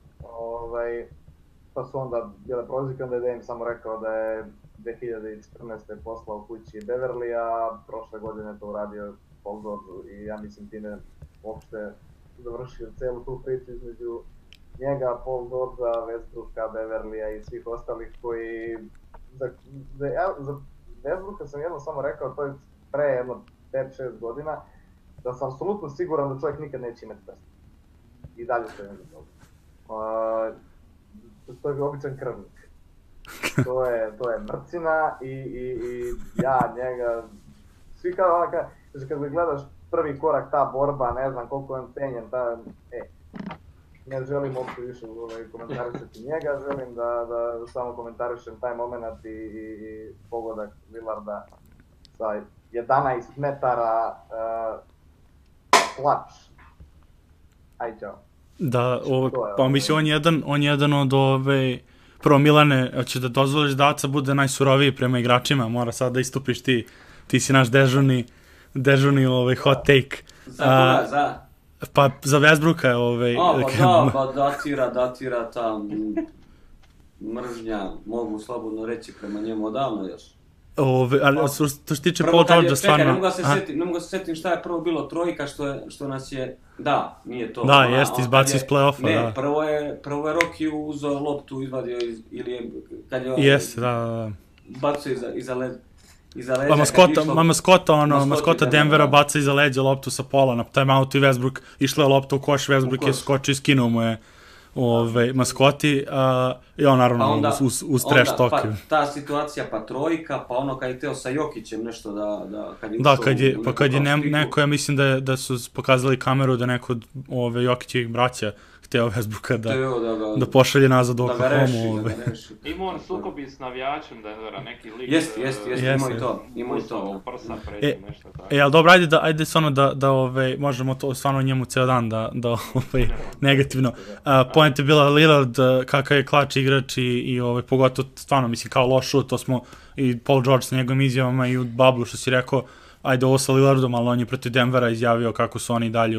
Pa su onda bile prozike, onda je Dame samo rekao da je 2014. poslao kući Beverly, a prošle godine to uradio Paul George i ja mislim time uopšte završio celu tu priču između njega, Paul Georgea, Westbrooka, Beverlya i svih ostalih koji... Za Westbrooka sam jedno samo rekao, to je pre jedno 5-6 godina, da sam apsolutno siguran da čovjek nikad neće imati prst. I dalje stojim za toga. To je običan krvnik. To je mrcina i ja njega... Svi kao ona kad ga gledaš prvi korak, ta borba, ne znam koliko je on cenjen, ne želim uopće više komentarisati njega, želim da samo komentarišem taj moment i pogodak Lillarda sa 11 metara klač. Aj, čao. Da, pa mislim, on je jedan od prvo Milane, hoće da dozvoliš da Aca bude najsuroviji prema igračima, mora sad da istupiš ti si naš dežurni hot take. Za koga, za? Pa za Westbrooka datira ta mržnja, mogu slobodno reći prema njemu odavno još. Ali što se tiče Paul Georgea stvarno... Ne mogu se setim šta je prvo bilo trojka što nas je... Da, nije to. Da, jeste, izbacio iz play-offa, da. Ne, prvo je Rocky uzeo loptu, izvadio ili je... Jeste, da. Bacio iza leđa. Maskota Denvera baca iza leđa loptu sa pola na timeoutu i Westbrook išla je lopta u koš, Westbrook je skočio i skinuo mu je maskoti i on naravno uz trash talk. Pa ta situacija, pa trojka, pa ono kad je teo sa Jokićem nešto da... Kad je neko, ja mislim da su pokazali kameru da neko od Jokićevih braća hteo Westbrooka da pošalje nazad u Oklahomu. Ima on sukobi s navijačem Denvera, neki lik... Jest, ima i to. Prsa pređe, nešto tako. Ali dobro, ajde stvarno da možemo to stvarno njemu ceo dan da negativno. Point je bila Lillard, kakav je klač igrač i pogotovo stvarno, mislim, kao loš šut, to smo i Paul George sa njegovim izjavama i u Bablu što si rekao, ajde ovo sa Lillardom, ali on je protiv Denvera izjavio kako su oni dalje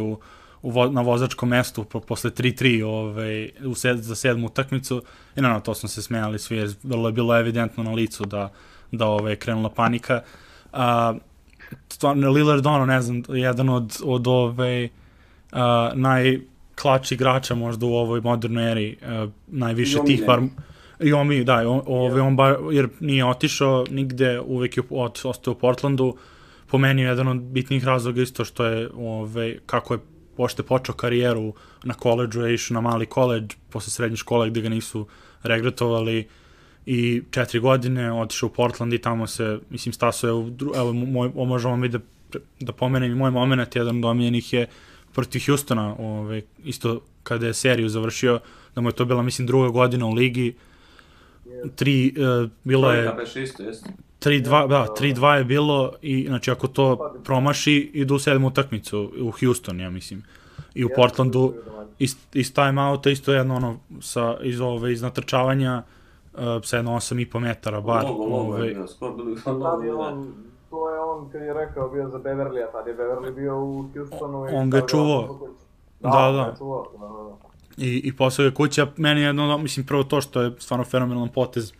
na vozačkom mestu posle 3-3 za 7. utakmicu i naravno to smo se smejali svi jer vrlo je bilo evidentno na licu da da je krenula panika. Stvarno, Lillard, ne znam, jedan od najklači igrača možda u ovoj modernoj eri, najviše tih jer nije otišao nigde, uvek je ostao u Portlandu. Po meni je jedan od bitnih razloga isto što je, kako je pošte počeo karijeru na koledžu, je išao na mali koledž posle srednje škole gde ga nisu regretovali i 4 godine otišao u Portland i tamo se, mislim, stasao je evo, možemo mi da pomenem i moj moment, jedan od omiljenih je protiv Houstona, isto kada je seriju završio, da mu je to bila, mislim, 2. godina u ligi, bilo je 3-2 je bilo i znači ako to promaši idu u 7. utakmicu u Houston, ja mislim, i u Portlandu iz time-outa isto jedno iz natrčavanja sa jedno 8,5 metara bar. To je on kad je rekao bio za Beverly, a tad je Beverly bio u Houstonu. On ga je čuvao. Da. I posao je kuća, meni je jedno, mislim, prvo to što je stvarno fenomenalan potez,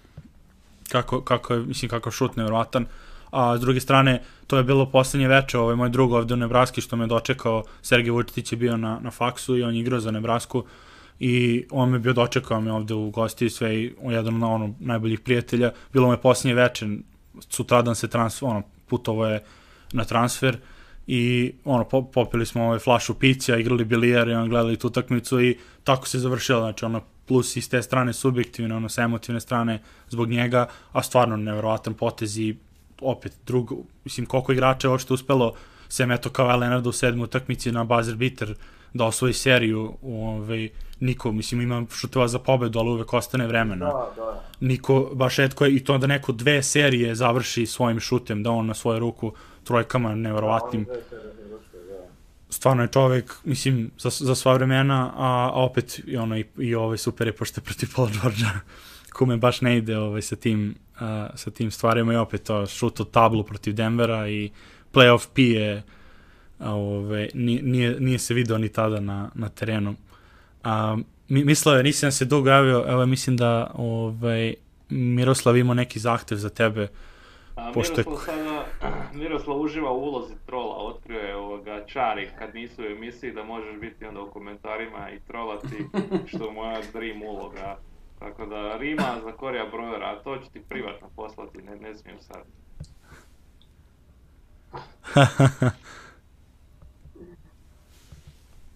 kako je, mislim, kako šut nevjerovatan, a s druge strane, to je bilo poslednje veče, moj drug ovde u Nebraski što me dočekao, Sergej Vučetić je bio na faksu i on je igrao za Nebrasku i on me bio dočekao me ovde u gosti sve i jedan od najboljih prijatelja, bilo me poslednje veče, sutradan se putovo je na transfer i popili smo flašu pića, igrali bilijar i gledali tu utakmicu i tako se završilo, znači plus i s te strane subjektivne, sa emotivne strane zbog njega, a stvarno neverovatan potez i opet mislim koliko igrača je uopšte uspelo, sem eto kao Leonardo u 7. utakmici na buzzer beater da osvoji seriju, niko, mislim, ima šuteva za pobedu, ali uvek ostane vremena. Niko, baš etko je, i to da neko 2 serije završi svojim šutem, da on na svoju ruku trojkama neverovatnim. Stvarno je čovek, mislim, za sva vremena, a opet i super je pošto je protiv Paula Georgea, kome baš ne ide sa tim stvarima i opet to šut od tablu protiv Denvera i playoff P je nije se video ni tada na terenu. Mislao je, nisam se dugo javio, evo mislim da Miroslav ima neki zahtev za tebe. Miroslav uživa u ulozi trola, otkrio je čari kad nisu u emisiji da možeš biti onda u komentarima i trolati, što je moja dream uloga. Tako da Rima za Korija Brojera, a to ću ti privatno poslati, ne smijem sad.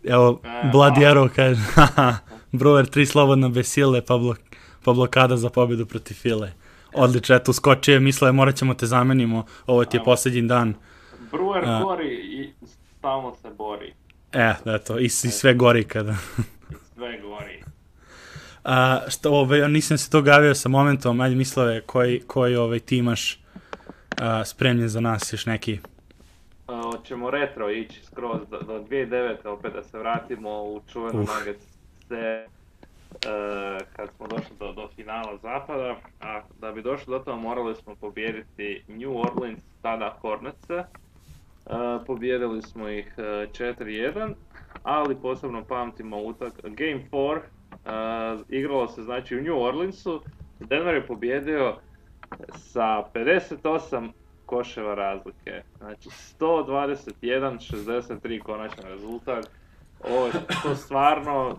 Evo, Bloody Arrow kaže, Brewer 3 slobodno bez sile, pa blokada za pobedu protiv File. Odlično, eto, uskočio, mislio je morat ćemo te zamenimo, ovo ti je posljednji dan. Brewer gori i stalno se bori. Eto, i sve gori kada. Sve gori. Nisam se to gavio sa momentom, ajde mislio je koji ti imaš spremljen za nas još neki. Hoćemo retro ići skroz do 2009. opet da se vratimo u čuvenu Nuggets kad smo došli do finala zapada, a da bi došli do toga morali smo pobijediti New Orleans, tada Hornetse. Pobijedili smo ih 4-1, ali posebno pamtimo Game 4, igralo se znači u New Orleansu, Denver je pobjedio sa 58 koševa razlike, znači 121-63 konačan rezultat. To stvarno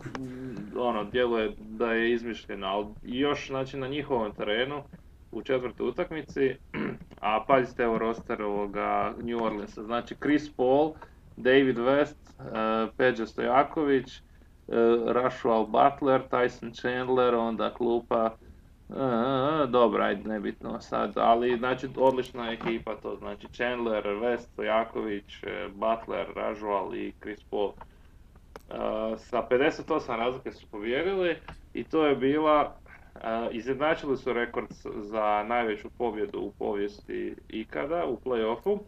djeluje da je izmišljeno, ali još znači na njihovom terenu u 4. utakmici, a pazite evo roster New Orleansa, znači Chris Paul, David West, Peđa Stojaković, Russell Butler, Tyson Chandler, onda klupa, dobro, ajde, nebitno sad, ali znači odlična ekipa to, znači Chandler, West, Stojaković, Butler, Russell i Chris Paul. Sa 58 razlike su pobijedili i to je bila, izjednačili su rekord za najveću pobjedu u povijesti ikada u play-offu.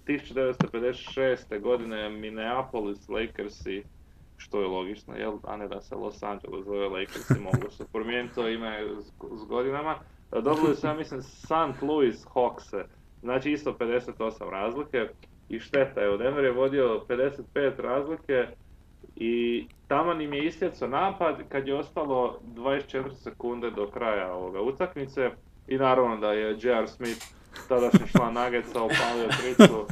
1956. godine Minneapolis Lakersi, što je logično, a ne da se Los Angeles zove Lakersi, mogu se promijeniti to ime s godinama. Dobili su, ja mislim, St. Louis Hawkse, znači isto 58 razlike. I šteta je, Denver je vodio 55 razlike i taman im je istjecao napad kad je ostalo 24 sekunde do kraja utakmice I naravno da je J.R. Smith, tadašnji član Nuggetsa, opalio tricu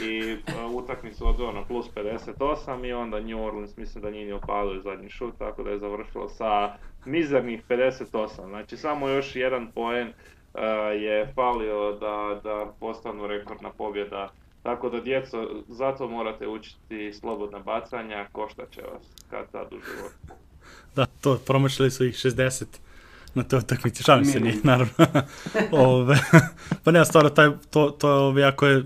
i utakmicu odveo na plus 58 i onda New Orleans mislim da nije opalio zadnji šut, tako da je završilo sa mizernih 58. Znači samo još jedan poen je falio da postanu rekordna pobjeda. Tako da djeco, zato morate učiti slobodna bacanja, koštat će vas kad tad u životu. Da, to, promašili su ih 60 na toj utakmici, šalim se nije, naravno. Pa nema stvarno, to jako je,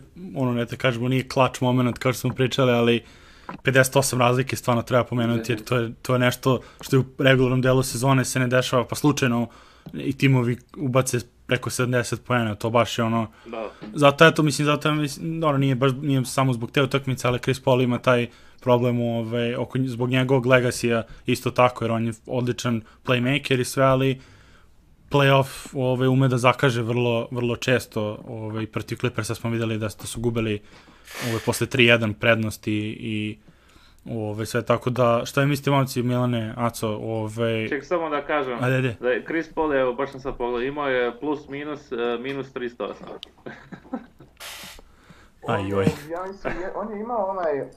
ne te kažemo, nije klač moment kao što smo pričali, ali 58 razlike stvarno treba pomenuti, jer to je nešto što je u regularnom delu sezone se ne dešava, pa slučajno i timovi ubace preko 70 poena, to baš je ono... Da. Zato nije samo zbog te utakmice, ali Chris Paul ima taj problem zbog njegovog legacija isto tako, jer on je odličan playmaker i sve, ali playoff ume da zakaže vrlo često. Protiv Clippersa smo videli da su gubili posle 3-1 prednosti i sve tako da, šta je mislite momci, Milane, Aco, Ček, samo da kažem, da je Chris Paul, evo, baš sam sad pogledao, imao je plus minus 308. Ajoj. Ja mislim, on je imao onaj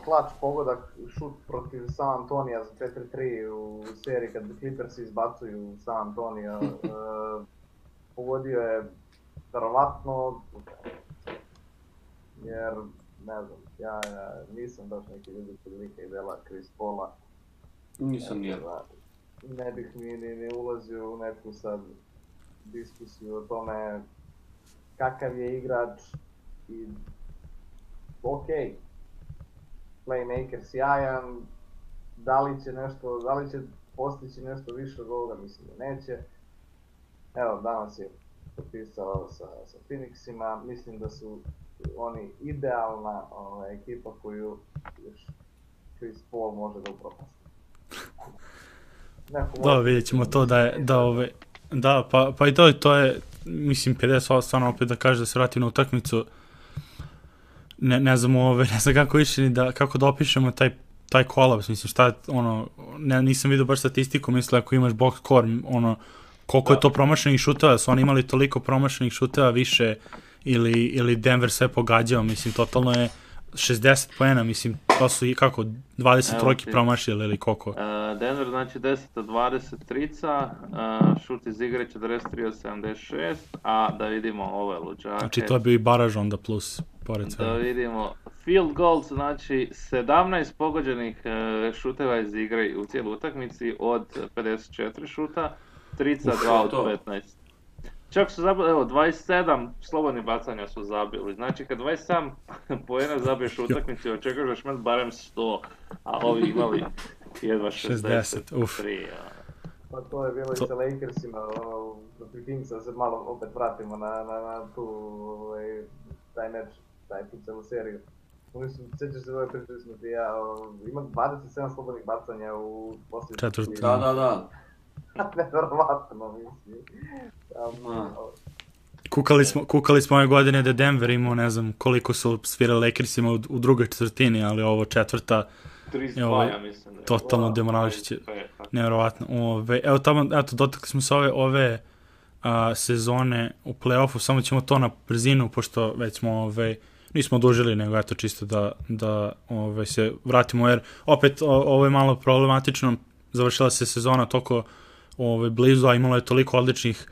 klač pogodak, šut protiv San Antonija za 4-3 u seriji kad Clippers izbacuju San Antonija. Pogodio je verovatno, jer ne znam, ja nisam baš neki ljubitelj lika i dela Chris Paula. Nisam nije. Ne bih ni ulazio u neku sad diskusiju o tome kakav je igrač i okej. Playmaker sjajan, da li će postići nešto više od ovoga, mislim da neće. Evo, danas je potpisao sa Phoenixima, mislim da su oni idealna ekipa koju još Chris Paul može da upropasti. Da, vidjet ćemo to pa i to je, mislim, 50 stvarno opet da kaže da se vrati na utakmicu. Ne znam kako više kako da opišemo taj kolaps, mislim šta nisam vidio baš statistiku, mislim ako imaš box score, koliko je to promašenih šuteva, su oni imali toliko promašenih šuteva više ili Denver sve pogađao, mislim totalno je 60 poena, mislim to su i kako 20 trojki promašili ili koliko? Denver znači 10 od 20 trica, šut iz igre 43 od 76, a da vidimo ove luđake. Znači to je bio i baraž onda plus pored svega. Da vidimo, field goals znači 17 pogođenih šuteva iz igre u cijelu utakmici od 54 šuta, trica 2 od 15. Čak su zabili, 27 slobodnih bacanja su zabili, znači kad 27 poena zabiješ u utakmici, očekuješ da ćeš imati barem 100, a ovi imali jedva 63. Pa to je bilo i sa Lakersima, protiv Kingsa, da se malo opet vratimo na taj meč, tu celu seriju. Sjećaš se pričali smo ti ja, ima 27 slobodnih bacanja u posljednji. Četvrti. Da. Nevjerovatno, mislim. Kukali smo ove godine da Denver imao, ne znam koliko su svirali Lakersima u drugoj četvrtini, ali ovo četvrta 32, ja mislim da je. Totalno demorališiće, nevjerovatno. Evo tamo, dotakli smo se ove sezone u play-offu, samo ćemo to na brzinu, pošto već smo nismo odužili, nego eto čisto da se vratimo, jer opet ovo je malo problematično, završila se sezona toliko blizu, a imalo je toliko odličnih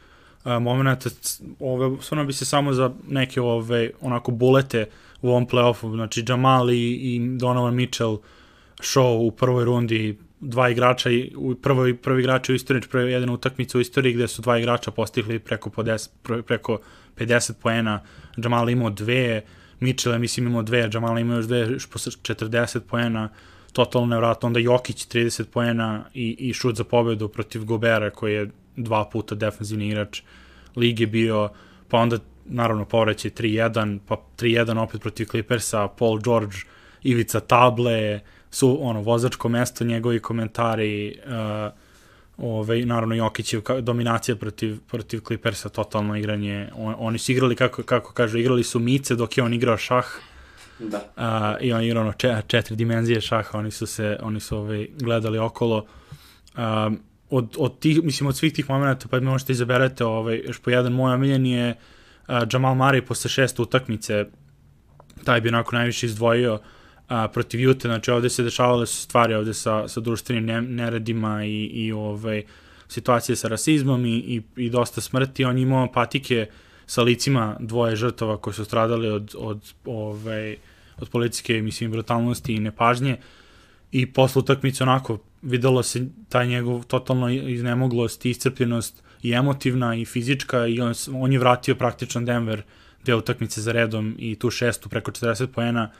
momenta, stvarno bi se samo za neke onako bulete u ovom play-offu, znači Jamal i Donovan Mitchell show u prvoj rundi, dva igrača, prvi igrač u istoriji, jedina utakmica u istoriji gde su dva igrača postigli preko 50 poena, Jamal imao 2, Mitchell je mislim imao 2, Jamal imao još 2 posle 40 poena, totalno nevratno, onda Jokić 30 poena i šut za pobedu protiv Gobera koji je 2 puta defensivni igrač lige bio, pa onda naravno povraćaj 3-1, pa 3-1 opet protiv Clippersa, Paul George, ivica table, su vozačko mesto, njegovi komentari, naravno Jokićev dominacija protiv Clippersa, totalno igranje, oni su igrali, kako kažu, igrali su mice dok je on igrao šah. Da. I on igrao 4 dimenzije šaha, oni su gledali okolo. od tih, mislim, od svih tih momenta, pa možete izaberete, još po jedan moj omiljen je Jamal Murray posle 6. utakmice, taj bi onako najviše izdvojio protiv Ute, znači ovde se dešavale su stvari ovde sa društvenim neredima i situacije sa rasizmom i dosta smrti, on je imao patike sa licima dvoje žrtava koji su stradali od policijske, mislim, brutalnosti i nepažnje i posle utakmice onako videlo se taj njegov totalno iznemoglost, iscrpljenost i emotivna i fizička i on je vratio praktično Denver 2 utakmice za redom i tu 6. preko 40 poena,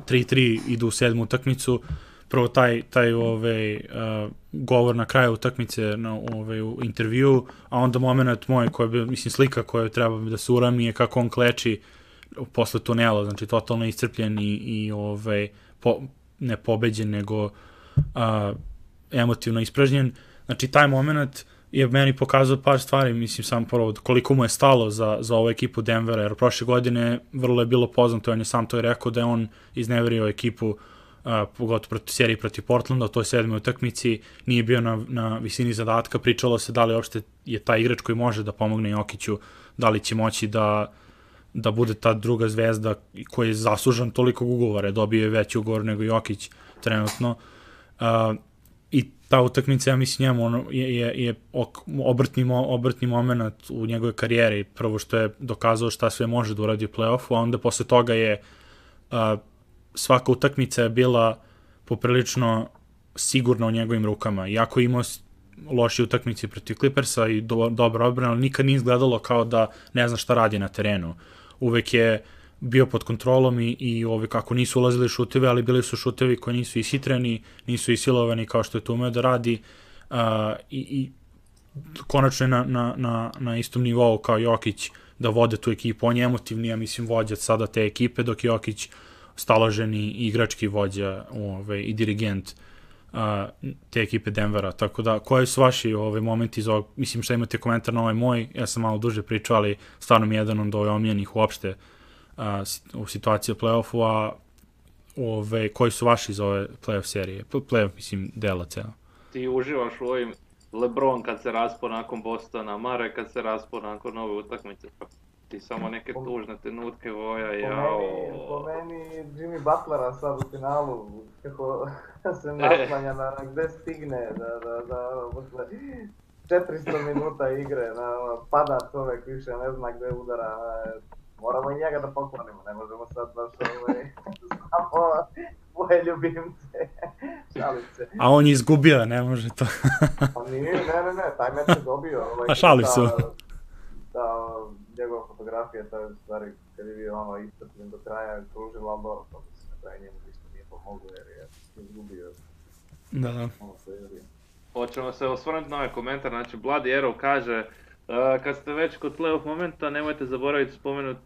3-3 idu u 7. utakmicu. Prvo taj govor na kraju utakmice u intervju, a onda moment moj koji je, mislim, slika koja treba da se urami je kako on kleči posle tunela, znači totalno iscrpljen i ne pobeđen, nego emotivno ispražnjen. Znači taj moment je meni pokazao par stvari, mislim, sam prvo koliko mu je stalo za ovu ekipu Denvera, jer prošle godine vrlo je bilo poznato, on je sam to i rekao da je on izneverio ekipu pogotovo proti seriji protiv Portlanda, u toj 7. utakmici, nije bio na visini zadatka, pričalo se da li uopšte je taj igrač koji može da pomogne Jokiću, da li će moći da bude ta druga zvezda koji je zaslužan tolikog ugovora, dobio je veći ugovor nego Jokić trenutno. I ta utakmica, ja mislim, njemu je obrtni moment u njegove karijeri, prvo što je dokazao šta sve može da uradi u play-offu, a onda posle toga je svaka utakmica je bila poprilično sigurna u njegovim rukama. Iako imao loše utakmice protiv Clippersa i dobra odbrana, ali nikad nije izgledalo kao da ne zna šta radi na terenu. Uvek je bio pod kontrolom i kako nisu ulazili šuteve, ali bili su šutevi koji nisu ishitreni, nisu isilovani kao što je to umeo da radi i konačno je na istom nivou kao Jokić da vode tu ekipu. On je emotivni, ja mislim, vođa sada te ekipe, dok je Jokić staloženi igrački vođa i dirigent te ekipe Denvera. Tako da, koji su vaši momenti iz ovog, mislim, šta imate komentar na ovaj moj, ja sam malo duže pričao, ali stvarno mi je jedan od omiljenih uopšte u situaciji u play-offu, a koji su vaši iz ove play-off serije, play-off, mislim, dela celo. Ti uživaš u ovim LeBron kad se raspo nakon Bostona, Murray kad se raspo nakon nove utakmice, ti samo neke tužne trenutke voja, jao. Po meni Jimmy Butlera sad u finalu, kako se naslanja na gde stigne, da posle 400 minuta igre, pada čovek, više ne zna gde udara, moramo i njega da poklonimo, ne možemo sad baš samo svoje ljubimce, šalim se. A on je izgubio, ne može to. Pa nije, ne, taj meč je dobio. A šalim se. Da, njegova fotografija, to je stvari kad je bio iscrpljen do kraja, kružila, ali dobro, to se na kraju njemu ništa nije pomoglo jer je izgubio. Da. Hoćemo se osvrnuti na ovaj komentar, znači Bloody Arrow kaže kad ste već kod playoff momenta, nemojte zaboraviti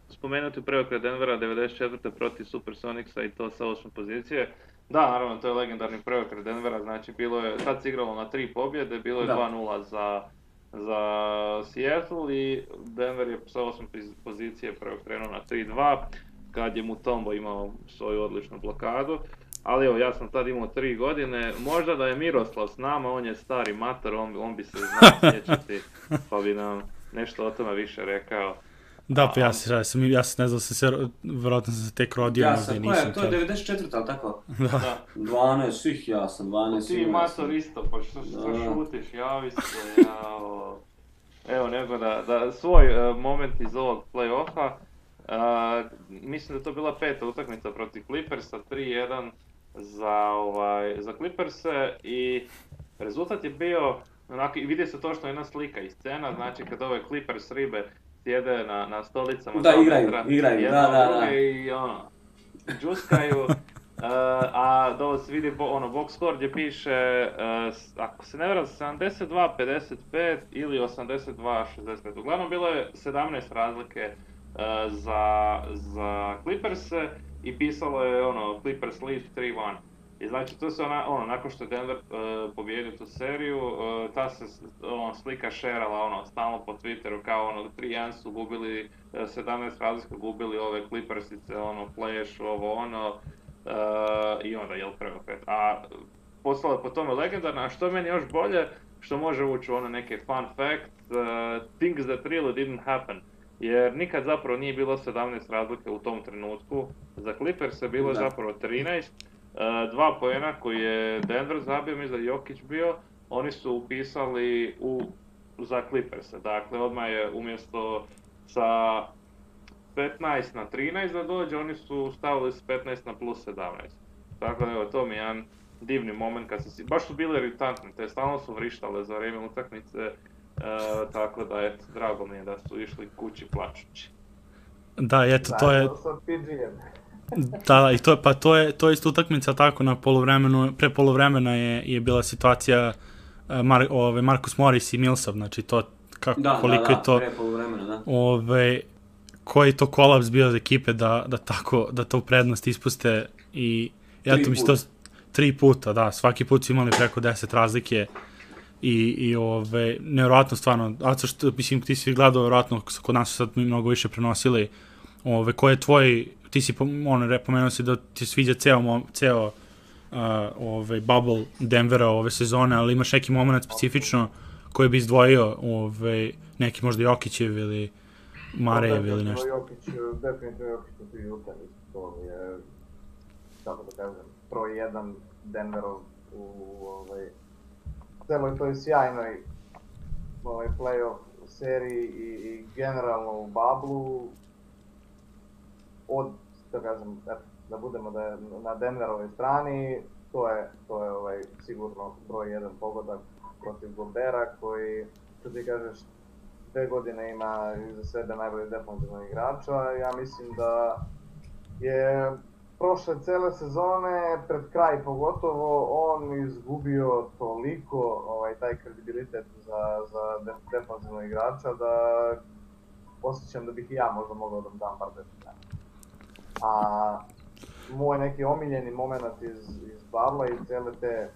spomenuti preokret Denvera 94. protiv Supersonicsa i to sa 8. pozicije. Da, naravno, to je legendarni preokret Denvera, znači bilo je, tad se igralo na 3 pobjede, bilo je 2-0 za Seattle i Denver je sa 8. pozicije preokrenuo na 3-2 kad je Mutombo imao svoju odličnu blokadu. Ali evo, ja sam tad imao 3 godine, možda da je Miroslav s nama, on je stari mator, on bi se znao sjećati, pa bi nam nešto o tome više rekao. Da, pa ja ne znam, vjerojatno sam se tek rodio. Ja sam, to je 94. ali tako? Da. 12 svih, ja sam 12. Ti mator isto, pa što šutiš, javi se, jao. Evo, nego da svoj moment iz ovog play-offa, mislim da je to bila 5. utakmica protiv Clippersa, 3-1 za Clipperse i rezultat je bio, onako, vidi se to što je jedna slika i scena, znači kad ove Clippers ribe sjede na stolicama. Da, igraju, da. I džuskaju, a dole se vidi box score gdje piše, ako se ne varam, 72-55 ili 82-65. Uglavnom bilo je 17 razlike za Clippers-e i pisalo je Clippers lead 3-1. I znači tu se nakon što je Denver pobijedio tu seriju, ta se slika šerala stalno po Twitteru kao 3-1 su gubili, 17 razlika gubili ove Clippersice, Flash, i onda jel preopet. A postalo je po tome legendarno, a što je meni još bolje, što može ući u ono neke fun fact, things that really didn't happen. Jer nikad zapravo nije bilo 17 razlike u tom trenutku. Za Clippers je bilo zapravo 13. 2 poena koji je Denver zabio, mislim da Jokić bio, oni su upisali za Clippers. Dakle, odmah je umjesto sa 15 na 13 da dođe, oni su stavili s 15 na plus 17. Tako da, evo, to mi je jedan divni moment kad baš su bile iritantne, te stalno su vrištale za vrijeme utakmice, tako da, eto, drago mi je da su išli kući plačući. Da, eto, to je... Da, i to je isto utakmica tako na poluvremenu, pre poluvremena je bila situacija Marcus Morris i Millsap, znači to koliko je to... pre poluvremena, da. Koji to kolaps bio za ekipe da to u prednost ispuste i eto mi se to 3 puta, da, svaki put su imali preko 10 razlike i nevjerojatno stvarno, a što, mislim, ti si gledao, vjerojatno, kod nas su sad mnogo više prenosili, ko je tvoj, ti si pomenuo si da ti sviđa ceo bubble Denvera ove sezone, ali imaš neki moment specifično koji bi izdvojio neki možda Jokićev ili Marejev ili nešto. Definitivno Jokić u tri utakmice, to je, kako da kažem, broj 1 Denverov u celoj toj sjajnoj playoff seriji i generalno u bablu, od, da kažem, da budemo na Denverovoj strani, to je sigurno broj 1 pogodak protiv Gorbera koji, što ti kažeš, 2 godine ima iza sebe najbolji defensivnog igrača. Ja mislim da je prošle cele sezone, pred kraj pogotovo, on izgubio toliko taj kredibilitet za defensivnog igrača da osjećam da bih i ja možda mogao da mu dam par desetlja. A moj neki omiljeni moment iz babla i cijele te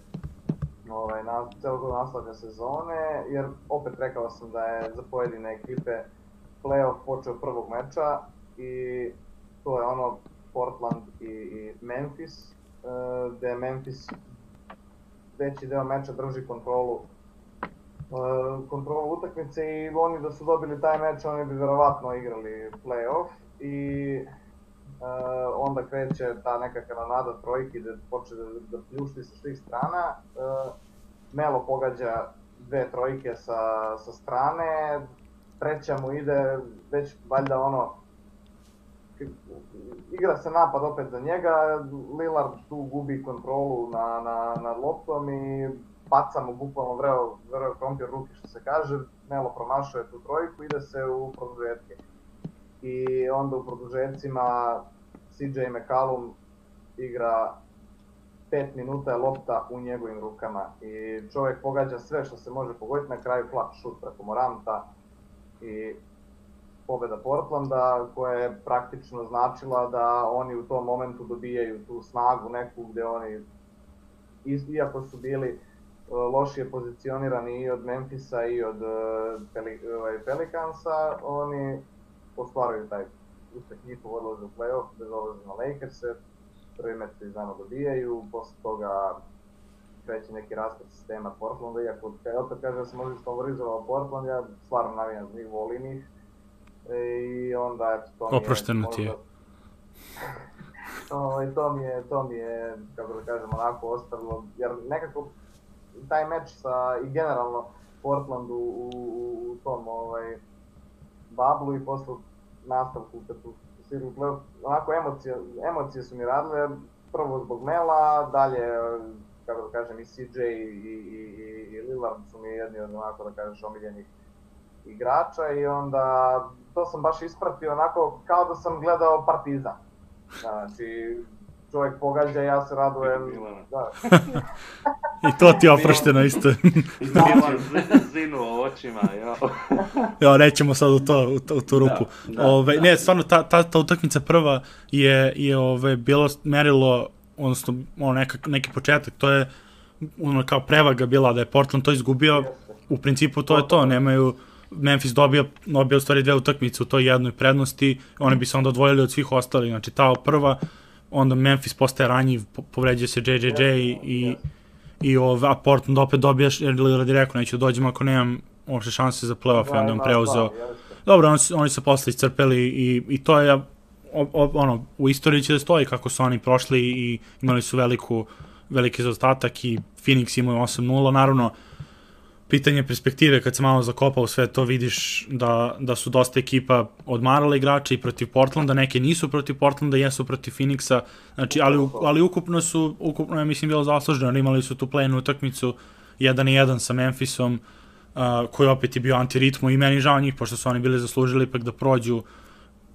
celog nastavka sezone, jer opet rekao sam da je za pojedine ekipe playoff počeo prvog meča i to je ono Portland i Memphis, gde Memphis veći deo meča drži kontrolu utakmice i oni da su dobili taj meč, oni bi verovatno igrali playoff i onda kreće ta neka kanonada trojki gde počne da pljušti sa svih strana. Melo pogađa 2 trojke sa strane, treća mu ide već valjda igra se napad opet za njega, Lillard tu gubi kontrolu nad loptom i baca mu bukvalno vreo krompir ruki, što se kaže, Melo promašuje tu trojku, ide se u produžetke. I onda u produžecima CJ McCollum igra 5 minuta je lopta u njegovim rukama i čovjek pogađa sve što se može pogoditi, na kraju flat šut preko Moranta i pobjeda Portlanda koja je praktično značila da oni u tom momentu dobijaju tu snagu neku gdje oni, iako su bili lošije pozicionirani i od Memphisa i od Pelicansa, oni ostvaruju taj uspjeh, njihov odlaze u playoff bez odlaze na Lakers-e, prvi meč se znamo dobijaju, posle toga kreće neki raspad sistema Portlanda, iako opet kaže da se možda isfavorizovao Portland, ja stvarno navijam za njih, volim ih i onda eto to mi je... Oprošteno ti je. To mi je, kako da kažem, onako ostavilo, jer nekako taj meč i generalno Portlandu u tom bablu i posle nastavku kad su stigli playoff, onako emocije su mi radile, prvo zbog Mela, dalje, kako da kažem, i CJ i Lillard su mi jedni od, onako da kažeš, omiljenih igrača i onda to sam baš ispratio onako kao da sam gledao Partizan. Znači, čovjek pogađa, ja se radujem. Da. I to ti je oprošteno isto. I to zinu o očima, jo. Nećemo sad u tu rupu. Da. Ne, stvarno, ta utakmica prva je bilo merilo, odnosno neki početak, to je kao prevaga bila da je Portland to izgubio, u principu to je to, nemaju... Memphis dobio u stvari 2 utakmice u toj jednoj prednosti, oni bi se onda odvojili od svih ostalih, znači ta prva, onda Memphis postaje ranjiv, povređuje se JJJ a Portland opet dobijaš, jer Lillard je rekao, neću dođem ako nemam uopšte šanse za playoff, i onda on preuzeo. Dobro, oni su posle iscrpeli i to je, u istoriji će da stoji kako su oni prošli i imali su veliki zaostatak i Phoenix imaju 8-0, naravno, pitanje perspektive, kad se malo zakopa u sve to, vidiš da su dosta ekipa odmarala igrača i protiv Portlanda, neke nisu protiv Portlanda, jesu protiv Phoenixa, znači, ali ukupno je, mislim, bilo zasluženo, imali su tu play-in utakmicu 1-1 sa Memphisom, koji opet je bio antiritmo i meni žao njih, pošto su oni bili zaslužili ipak da prođu,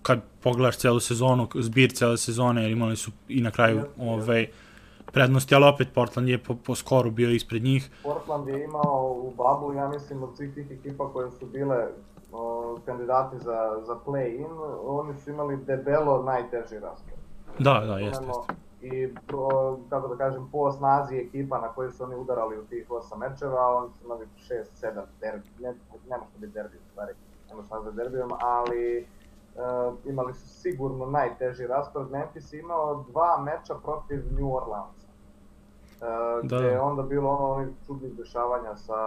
kad pogledaš celu sezonu, zbir cele sezone, jer imali su i na kraju prednosti, ali opet Portland je po skoru bio ispred njih. Portland je imao u bubble, ja mislim, od svih tih ekipa koje su bile kandidati za play-in, oni su imali debelo najteži raspored. Da, jeste. I, kako da kažem, po snazi ekipa na koje su oni udarali u tih 8 mečeva, oni su imali 6-7 derbi, ne može biti derbi u stvari, ne može nazvati derbijom, ali imali su sigurno najteži raspored. Memphis imao 2 meča protiv New Orleansa, gde je onda bilo onih čudnih dešavanja sa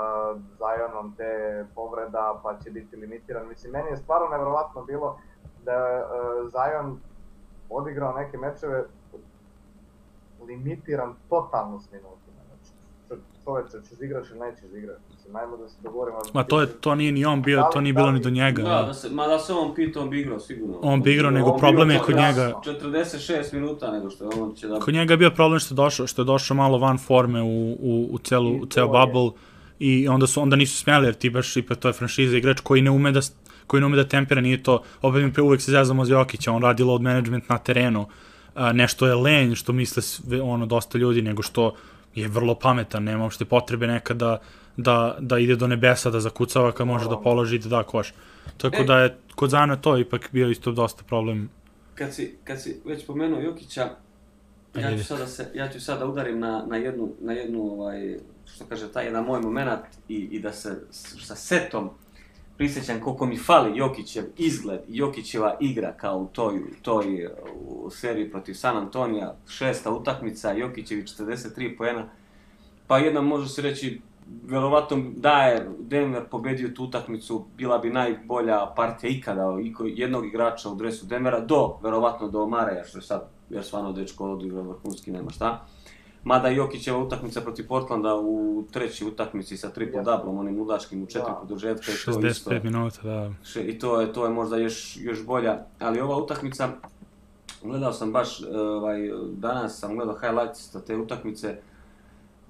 Zionom, te povreda, pa će biti limitiran. Mislim, meni je stvarno nevjerovatno bilo da je Zion odigrao neke mečeve limitiran totalno s minutima. Znači, čoveče, ćeš igraš ili nećeš igraš. Mislim, najmo da se dogovorimo. Ma to nije ni on bio, to nije bilo ni do njega. Da se on pitao, on bi igrao sigurno. On bi igrao, nego problem je kod njega. 46 minuta nego što je on će da... Kod njega je bio problem što je došao malo van forme u ceo bubble i onda nisu smjeli, jer ti baš ipak to je franšiza igrač koji ne ume da tempira, nije to, opet mi uvek se zezamo za Jokića, on radi load management na terenu, nešto je lenj, što misle dosta ljudi, nego što je vrlo pametan, nema uopšte potrebe nekada da ide do nebesa, da zakucava kad može da položi i da da koš. Tako da je kod Zana to ipak bio isto dosta problem. Kad si već pomenuo Jokića, ja ću sada udarim na jednu što kaže, taj jedan moj moment i da se sa setom prisjećam koliko mi fali Jokićev izgled i Jokićeva igra kao u toj seriji protiv San Antonija, 6. utakmica, Jokićevi 43 poena, pa jedna može se reći, verovatno da je Denver pobedio tu utakmicu, bila bi najbolja partija ikada jednog igrača u dresu Denvera, verovatno do Mareja, što je sad, jer stvarno dečko odigrao vrhunski, nema šta. Mada Jokićeva utakmica protiv Portlanda u trećoj utakmici sa triple-doublom, onim ludačkim u 4 produžetka. 65 minuta, da. I to je možda još bolja, ali ova utakmica, gledao sam baš, danas sam gledao highlights te utakmice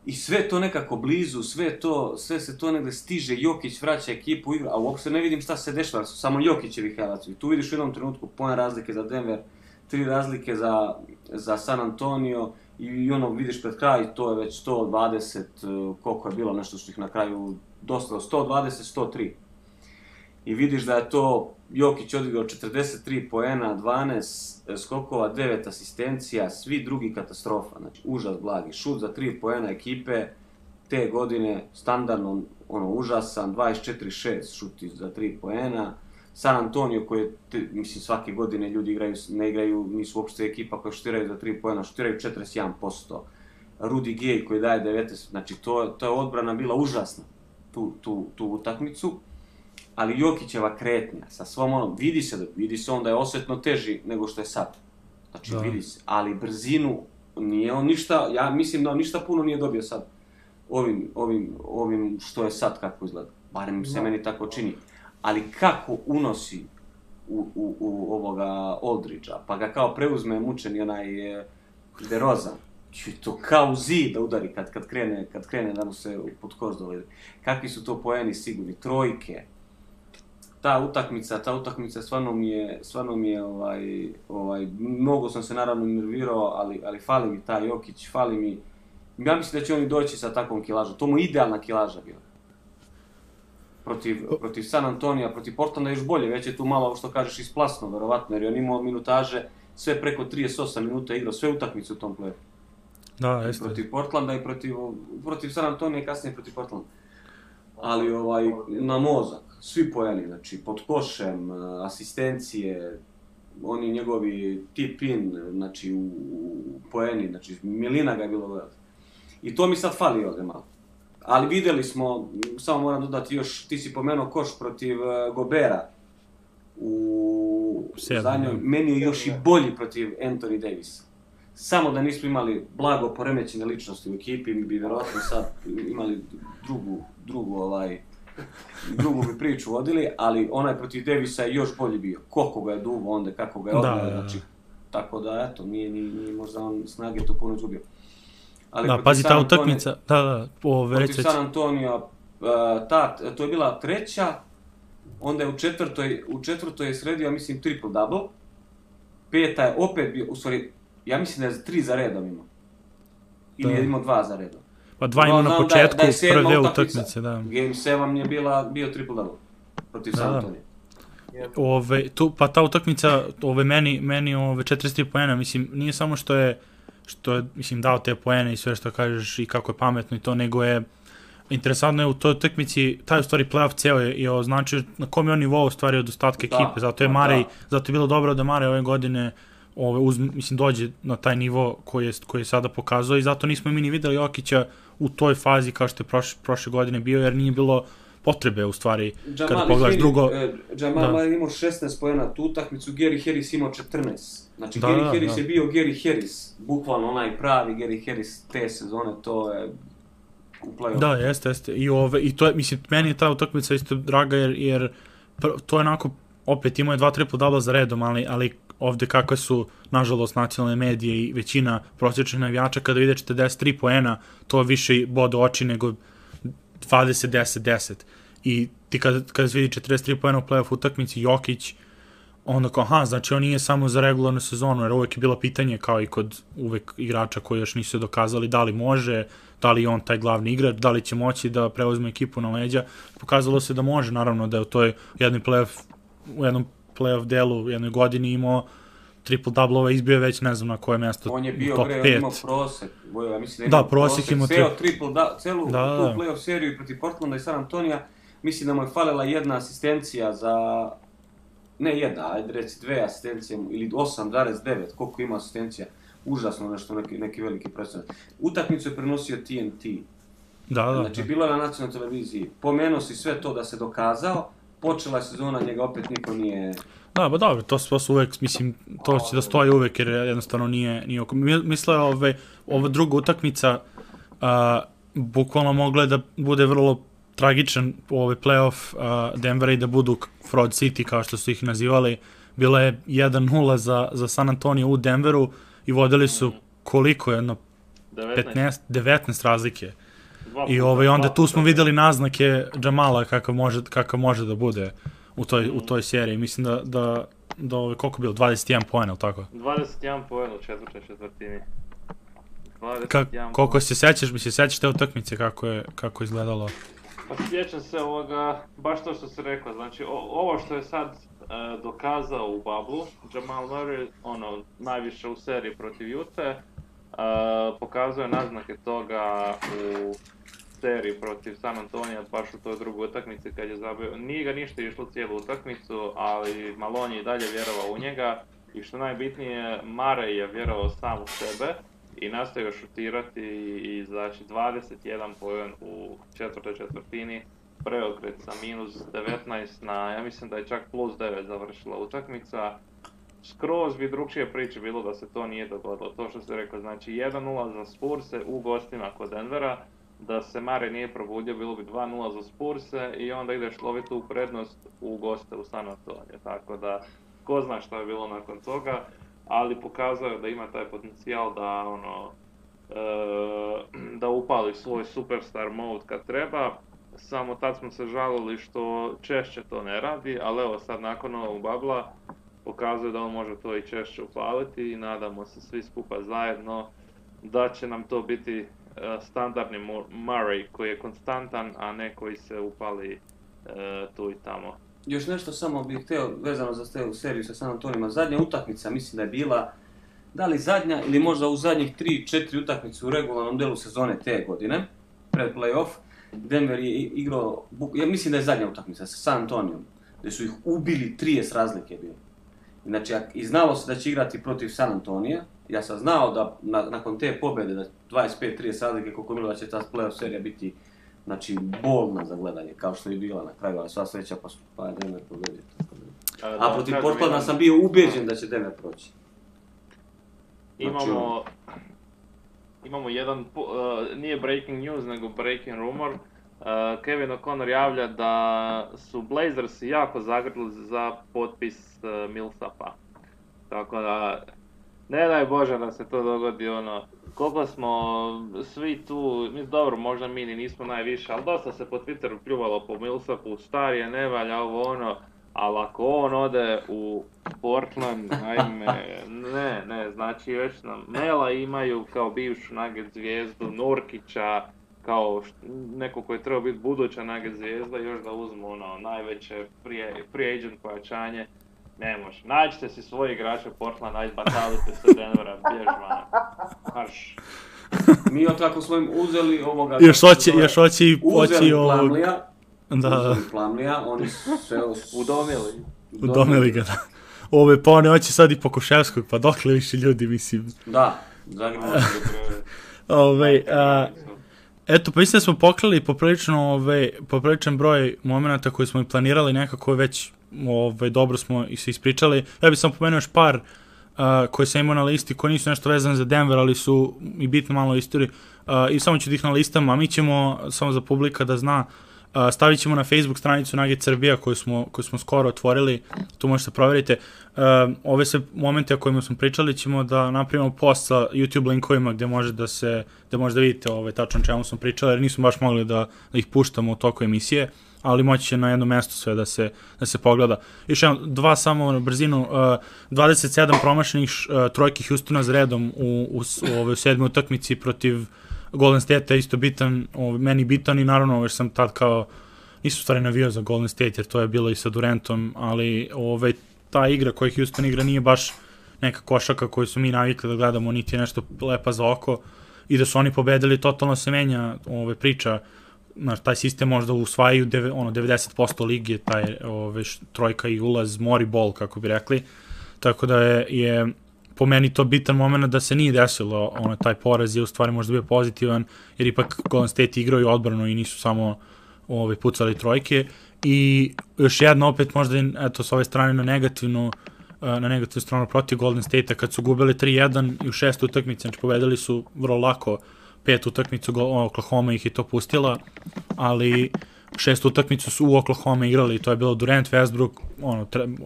i sve to nekako blizu, sve se to negde stiže, Jokić vraća ekipu igra, a uopšte ne vidim šta se dešava, su samo Jokićevi highlights. Tu vidiš u jednom trenutku poen razlike za Denver, 3 razlike za San Antonio, i vidiš pred kraj, to je već 120, koliko je bilo, nešto što ih na kraju dostalo, 120-103. I vidiš da je to Jokić odigrao 43 poena, 12 skokova, 9 asistencija, svi drugi katastrofa, znači užas blagi. Šut za 3 poena ekipe, te godine standardno užasan, 24-6 šuti za 3 poena. San Antonio koji, mislim, svake godine ljudi ne igraju, nisu uopšte ekipa koja šutiraju za 3 poena, šutiraju 41%. Rudy Gay koji daje 19, znači to je odbrana bila užasna, tu utakmicu, ali Jokićeva kretnja sa svom vidi se on da je osjetno teži nego što je sad, znači vidi se, ali brzinu nije on ništa, ja mislim da on ništa puno nije dobio sad ovim što je sad kako izgleda, barem se meni tako čini. Ali kako unosi u ovoga Aldridgea, pa ga kao preuzme mučeni onaj DeRozan, to kao zid da udari kad krene da mu se pod koš dovede. Kakvi su to poeni sigurni, trojke. Ta utakmica stvarno mi je, mnogo sam se naravno nervirao, ali fali mi taj Jokić, fali mi, ja mislim da će oni doći sa takvom kilažom, to mu idealna kilaža bila. Protiv San Antonija, protiv Portlanda još bolje, već je tu malo, što kažeš, isplasno, verovatno, jer je on imao minutaže, sve preko 38 minuta igrao, sve utakmice u tom play-offu. Da, jeste. Protiv Portlanda i protiv San Antonija i kasnije protiv Portlanda. Ali na mozak, svi poeni, znači pod košem, asistencije, oni njegovi tip-in, znači u poeni, znači milina ga je bilo gledati. I to mi sad fali ovdje malo. Ali vidjeli smo, samo moram dodati još, ti si pomenuo koš protiv Gobera u zadnjoj, meni je još i bolji protiv Anthony Davisa. Samo da nismo imali blago poremećene ličnosti u ekipi, mi bi vjerojatno sad imali drugu bi priču vodili, ali onaj protiv Davisa je još bolji bio. Koliko ga je duvo onda, kako ga je odmah, znači, tako da, eto, nije možda on snage to puno izgubio. Ali da, pazi ta utakmica, protiv San Antonija, to je bila treća, onda je u četvrtoj je sredio, mislim, triple-double, peta je opet bio, u stvari, ja mislim da je 3 za redom imao, ili je imao 2 za redom. Pa 2 imao na početku, prve utakmice, da. Game 7 je bio triple-double protiv San Antonija. Pa ta utakmica, meni 43 poena, mislim, nije samo što je mislim, dao te poene i sve što kažeš i kako je pametno i to, nego je interesantno je u toj utakmici, taj u stvari playoff ceo je označio na kom je on nivou u stvari od ostatka ekipe, zato je bilo dobro da Marej ove godine mislim, dođe na taj nivo koji je sada pokazao i zato nismo mi ni videli Jokića u toj fazi kao što je prošle godine bio, jer nije bilo potrebe u stvari kada pogledaš drugo. Jamal Murray imao 16 poena tu utakmicu, Gary Harris imao 14. Znači Gary Harris je bio Gary Harris, bukvalno onaj pravi Gary Harris te sezone, to je u play-offu. Da, jeste. I to je, mislim, meni je ta utakmica isto draga jer to je onako, opet imao je 2 triple-double za redom, ali ovde kakve su, nažalost, nacionalne medije i većina prosječnih navijača, kada vide 43 poena, to više bode oči nego 20-10-10. I ti kada se vidi 43 poena u play-off utakmici, Jokić, onda kao, znači on nije samo za regularnu sezonu, jer uvek je bilo pitanje, kao i kod uvek igrača koji još nisu dokazali da li može, da li je on taj glavni igrač, da li će moći da preuzme ekipu na leđa. Pokazalo se da može, naravno, da je u toj jednom play-off delu u jednoj godini imao triple-double-ova, izbio je već ne znam na koje mjesto, on je bio, top 5. On je imao prosek, ja mislim da je imao prosek, celu tu play-off seriju protiv Portlanda i San Antonija, mislim da mu je falila jedna asistencija za, ne jedna, ajde reci 2 asistencije, ili 8,9, koliko ima asistencija, užasno nešto, neki veliki procenat. Utakmicu je prenosio TNT, znači bilo je na nacionalnoj televiziji, pomenuo si sve to da se dokazao, počela je sezona, njega opet niko nije... Da, ba dobro, to su uvek, mislim, to će da stoji uvek jer jednostavno nije oko. Misle, ova druga utakmica bukvalno mogla je da bude vrlo tragičan play-off Denvera i da budu Fraud City kao što su ih nazivali. Bila je 1-0 za San Antonio u Denveru i vodili su koliko, 19 razlike. I onda tu smo videli naznake Jamala kakav može da bude u toj seriji. Mislim da koliko je bilo, 21 poena, ili tako? 21 poena u četvrtoj četvrtini. Koliko se sećaš te utakmice kako je izgledalo? Pa sjećam se ovoga, baš to što si rekao, znači ovo što je sad dokazao u bablu, Jamal Murray, najviše u seriji protiv Ute, pokazuje naznake toga u seriji protiv San Antonija, baš u toj drugoj utakmici kad je zabio. Nije ga ništa išlo cijelu utakmicu, ali Malone je i dalje vjerovao u njega i što najbitnije, Murray je vjerovao sam u sebe i nastavio šutirati i znači 21 poen u četvrtoj četvrtini, preokret sa minus 19 na, ja mislim da je čak plus 9 završila utakmica. Skroz bi drugčije priče bilo da se to nije dogodilo, to što se rekao, znači 1-0 za Spurse u gostima kod Denvera, da se Murray nije probudio, bilo bi 2-0 za Spurse i onda ideš loviti u prednost u goste u San Antonio, tako da ko zna šta je bilo nakon toga, ali pokazao je da ima taj potencijal da upali svoj superstar mode kad treba, samo tad smo se žalili što češće to ne radi, ali evo sad nakon ovog babla pokazuje da on može to i češće upaliti i nadamo se svi skupa zajedno da će nam to biti standardni Murray koji je konstantan, a ne koji se upali tu i tamo. Još nešto samo bih htio vezano za te u seriju sa San Antonijima. Zadnja utakmica mislim da je bila, da li zadnja ili možda u zadnjih 3-4 utakmice u regularnom delu sezone te godine, pred play-off, Denver je igrao, ja mislim da je zadnja utakmica sa San Antonijom, gdje su ih ubili 30 razlike bilo. Znači, i znalo se da će igrati protiv San Antonija. Ja sam znao da nakon te pobjede, da 25-30 razlike, koliko bilo da će ta playoff serija biti, znači, bolna za gledanje, kao što je bila na kraju, ali sva sreća pa je Denver pobedio. A protiv Portlanda sam bio ubeđen da će Denver proći. Imamo jedan, nije breaking news, nego breaking rumor. Kevin O'Connor javlja da su Blazersi jako zagrlili za potpis Millsapa. Tako da, ne daj Bože da se to dogodi, koliko smo svi tu, dobro, možda mi ni nismo najviše, ali dosta se po Twitteru pljuvalo po Millsapu, star je, ne valja ali ako on ode u Portland, znači već nam Mela imaju kao bivšu Nugget zvijezdu, Nurkića, kao neko koji je trebao biti buduća Nugget zvijezda, još da uzmu najveće free agent pojačanje. Ne može. Nađite si svoje igrače Portland, ajde batalite se Denvera, bjež van. Marš. Mi od kako smo im uzeli ovoga... Još hoći uzeli Plumleeja. Da. Uzeli Plumleeja, oni sve... Udomili ga, da. Pa oni hoće sad i Pokuševskog, pa dokle više ljudi, mislim. Da, zanimljivo. Eto, pa mislim da smo pokrili popriličan broj momenta koji smo i planirali, nekako već dobro smo i se ispričali. Ja bih samo pomenuo još par koje sam imao na listi, koji nisu nešto vezane za Denver, ali su i bitno malo istoriji. I samo ću da ih na listama, a mi ćemo, samo za publika da zna, stavit ćemo na Facebook stranicu Nugget Srbija koju smo skoro otvorili, tu možete provjerite. Ove sve momente o kojima smo pričali ćemo da napravimo post sa YouTube linkovima gdje možete da vidite tačno o čemu smo pričali, jer nismo baš mogli da ih puštamo u toku emisije, ali moći će na jedno mjesto sve da se pogleda. Još jedno, dva samo na brzinu, 27 promašenih trojki Houstona za redom u sedmoj utakmici protiv Golden State je isto bitan, meni bitan i naravno jer sam tad kao, nisu stvari navio za Golden State jer to je bilo i sa Durantom, ali ta igra koju Houston igra nije baš neka košaka koju su mi navikli da gledamo, niti je nešto lepa za oko i da su oni pobedili, totalno se menja priča, taj sistem možda usvajaju 90% lige, taj trojka i ulaz, mori ball kako bi rekli, tako da je po meni to bitan moment da se nije desilo, taj poraz je u stvari možda bio pozitivan, jer ipak Golden State igraju odbranu i nisu samo pucali trojke. I još jedno opet možda, eto, s ove strane na negativnu stranu protiv Golden State-a, kad su gubili 3-1 i u 6. utakmici, znači povedali su vrlo lako 5. utakmicu, Oklahoma ih je to pustila, ali 6. utakmicu su u Oklahoma igrali i to je bilo Durant, Westbrook,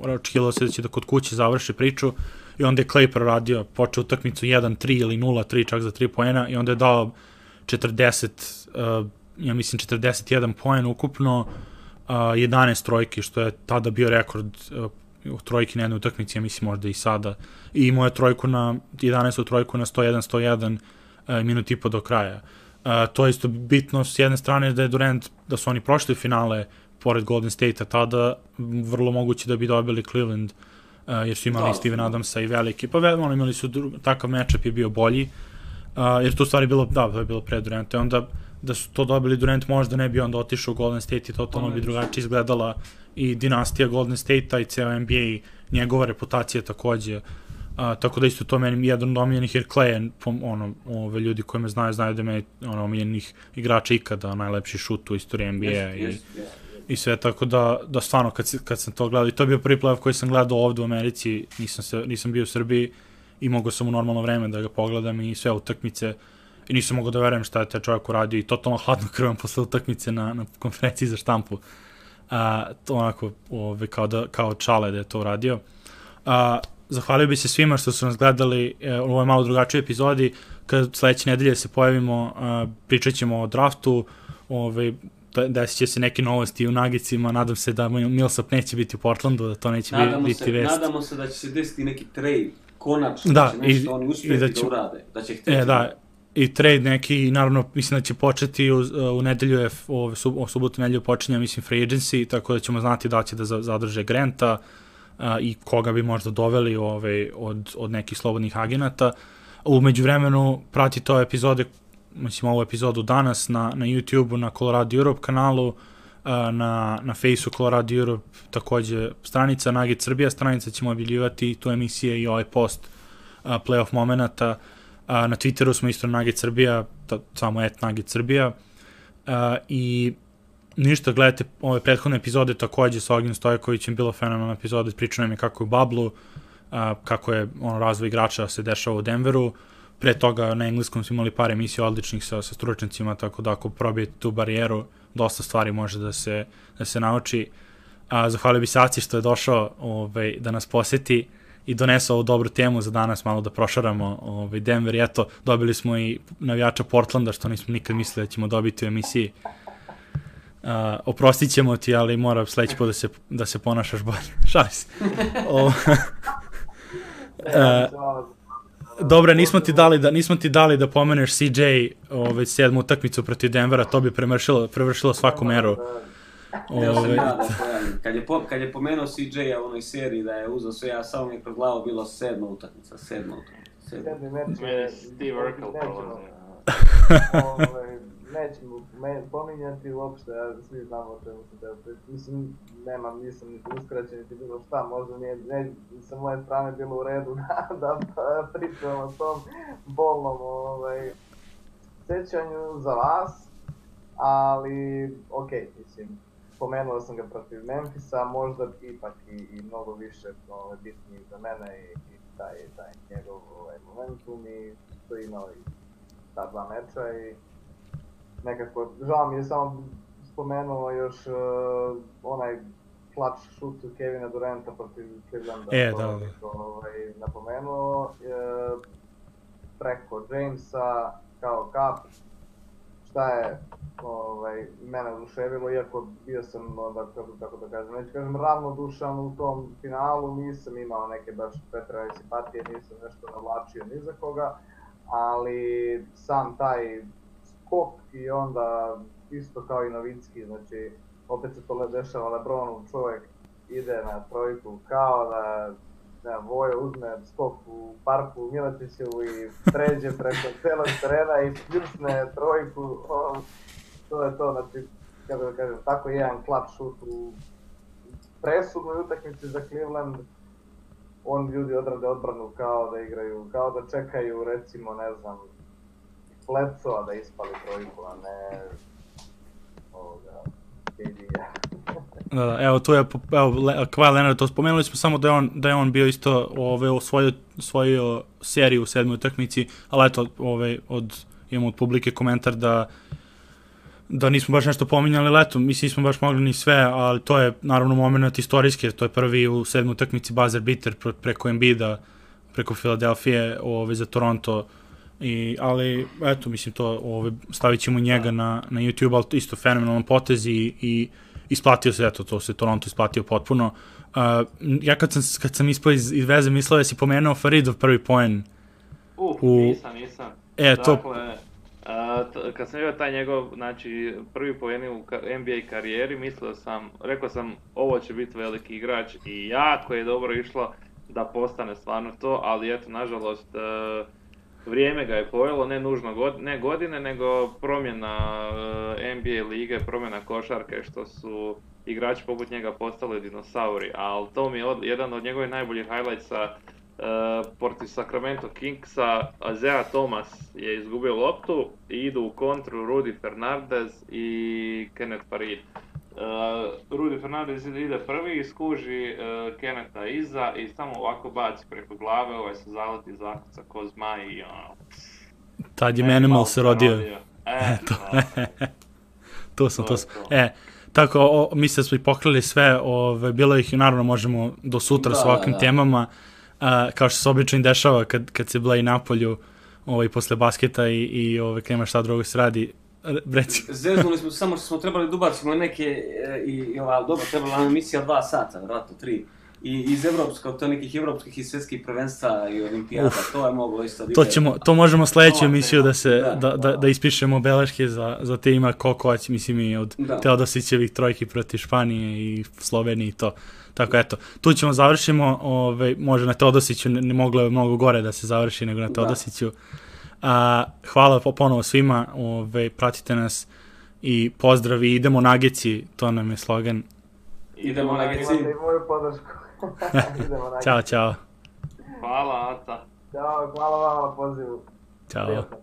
očekivalo se da će da kod kuće završi priču i onda je Clay proradio, počeo utakmicu 1-3 ili 0-3 čak za 3 poena i onda je dao 41 poen ukupno, 11 trojki, što je tada bio rekord trojki na jednoj utakmici, ja mislim možda i sada, i imao je 11. trojku na 101-101 minut i po do kraja. To je isto bitno s jedne strane da je Durant, da su oni prošli finale pored Golden State-a tada, vrlo moguće da bi dobili Cleveland, jer su imali Steven Adamsa i veliki, pa imali su takav matchup je bio bolji, jer to u stvari bilo, da, to je bilo pre Duranta, onda da su to dobili Durant možda ne bi onda otišao u Golden State i totalno bi drugačije izgledala i dinastija Golden State-a i ceo NBA, njegova reputacija takođe, tako da isto to meni jedan od omiljenih, jer Clay je, ljudi koji me znaju da me omiljenih igrača ikada, najlepši šut u istoriji NBA i sve, tako da stvarno kad sam to gledao, i to je bio prvi playoff koji sam gledao ovdje u Americi, nisam bio u Srbiji i mogao sam u normalno vreme da ga pogledam i sve utakmice i nisam mogao da verujem šta je taj čovjek uradio i totalno hladno krvom posle utakmice na konferenciji za štampu, to onako kao čale da je to uradio. Zahvalio bi se svima što su nas gledali u ovoj malo drugačoj epizodi. Kad sledeće nedelje se pojavimo, pričat ćemo o draftu, desit će se neke novosti u Nuggetsima, nadam se da Millsap neće biti u Portlandu, da to neće biti vest. Nadamo se da će se desiti neki trade, konačno, da će nešto oni uspjeti da urade, da će htjeti. I trade neki, naravno, mislim da će početi u nedelju, u subotu nedelju počinja, mislim, free agency, tako da ćemo znati da će da zadrže Granta i koga bi možda doveli od nekih slobodnih agenata. U međuvremenu pratite ove epizode, mislim ovu epizodu danas na YouTube-u, na Colorado Europe kanalu, na Faceu Colorado Europe, takođe stranica Nugget Srbija, stranica ćemo objavljivati tu emisije i ovaj post playoff momenata. Na Twitteru smo isto Nugget Srbija, samo @Nugget Srbija. I ništa, gledajte ove prethodne epizode takođe sa Ognjen Stojkovićem, bilo fenomenalna epizoda, pričao nam je kako je u Bablu, kako je razvoj igrača se dešava u Denveru. Pre toga na engleskom smo imali par emisija odličnih sa stručnicima, tako da ako probijete tu barijeru, dosta stvari može da se nauči. Zahvalio bi se Aci što je došao da nas poseti i donese ovu dobru temu za danas, malo da prošaramo Denver. I eto, dobili smo i navijača Portlanda, što nismo nikad mislili da ćemo dobiti u emisiji. Oprostit ćemo ti, ali mora sledeći put da se ponašaš bolje. Šali se. Dobro, nismo ti dali da pomeneš CJ 7. utakmicu protiv Denvera, to bi prevršilo svaku meru. Kad je pomenuo CJ-a u onoj seriji da je uzao sve, ja samo mi je kroz glavu bilo 7. utakmica. 7. meč je Steve Urkel prolazio. Nećemo pominjati uopšte, svi znamo o čemu se teo. Mislim, nisam niti uskraćen, niti bilo šta, možda nije sa moje strane bilo u redu da pričam o tom bolnom sećanju za vas, ali okej, mislim, spomenuo sam ga protiv Memphisa, možda ipak i mnogo više bitniji za mene i taj njegov momentum i što je imao i ta dva meča i nekako, žao mi je samo spomenuo još onaj clutch shoot Kevina Duranta protiv Clevelanda, napomenuo preko Jamesa kao kap, šta je mene oduševilo, iako bio sam, kako da kažem, neću kažem ravnodušan u tom finalu, nisam imao neke baš preterane simpatije, nisam nešto navlačio ni za koga, ali sam taj skok i onda isto kao i Novicki, znači opet se to dešava LeBronu, čovjek ide na trojku kao da Vojo uzme skok u parku Miletićevu i pređe preko celog terena i pljusne trojku, to je to, znači, kako da kažem, tako jedan clutch shoot u presudnoj utakmici za Cleveland, ljudi odrade odbranu kao da igraju, kao da čekaju, recimo, ne znam, Bledsoa da ispali trojku, a ne KD-a. Da, evo tu je, Kawhi Leonard, to spomenuli smo samo da je on bio isto osvojio seriju u 7. utakmici, ali eto, imamo od publike komentar da nismo baš nešto pominjali, ali eto, mislim nismo baš mogli ni sve, ali to je naravno moment istorijski, jer to je prvi u 7. utakmici buzzer beater preko Embida, preko Filadelfije za Toronto. Ali, eto, mislim, to stavit ćemo njega na YouTube, ali isto fenomenalan potez i isplatio se, eto, to se Toronto isplatio potpuno. Ja kad sam ispao iz veze, mislio da si pomenuo Faridov prvi poen. Nisam. Dakle, kad sam vidio taj njegov, znači, prvi poen u NBA karijeri, rekao sam, ovo će biti veliki igrač i jako je dobro išlo da postane stvarno to, ali eto, nažalost, vrijeme ga je pojelo, ne nužno ne godine, nego promjena NBA lige, promjena košarke, što su igrači poput njega postali dinosauri, ali to mi je jedan od njegovih najboljih highlightsa protiv Sacramento Kingsa. Isaiah Thomas je izgubio loptu i idu u kontru Rudy Fernandez i Kenneth Faried. Rudy Fernandez ide prvi, skuži Kennetha iza i samo ovako baci preko glave, se zaleti zakuca ko zmaj i tad je Manimal se rodio. To sam. Tako, mislim da smo i pokrili sve, bilo ih i naravno možemo do sutra s ovakvim temama, kao što se obično dešava kad se bila i napolju posle basketa i kad nema šta drugo se radi. Zeznuli smo samo što smo trebali da ubacimo neke, dobro, trebala nam emisija 2 sata, vratno 3. I iz nekih evropskih i svjetskih prvenstva i olimpijada, to je moglo isto... To možemo sledeću emisiju da ispišemo beleške za te ima Kokovac, mislim i od Teodosićevih trojki protiv Španije i Slovenije i to. Tako eto, tu ćemo završimo, može na Teodosiću, ne moglo je mnogo gore da se završi nego na Teodosiću. Hvala ponovo svima, pratite nas i pozdrav i idemo Nageci, to nam je slogan. Idemo Nageci. Imate i moju podršku. Idemo Nageci. Ćao, čao. Hvala, Aca. Ćao, hvala vam na pozivu. Ćao. Prijatno.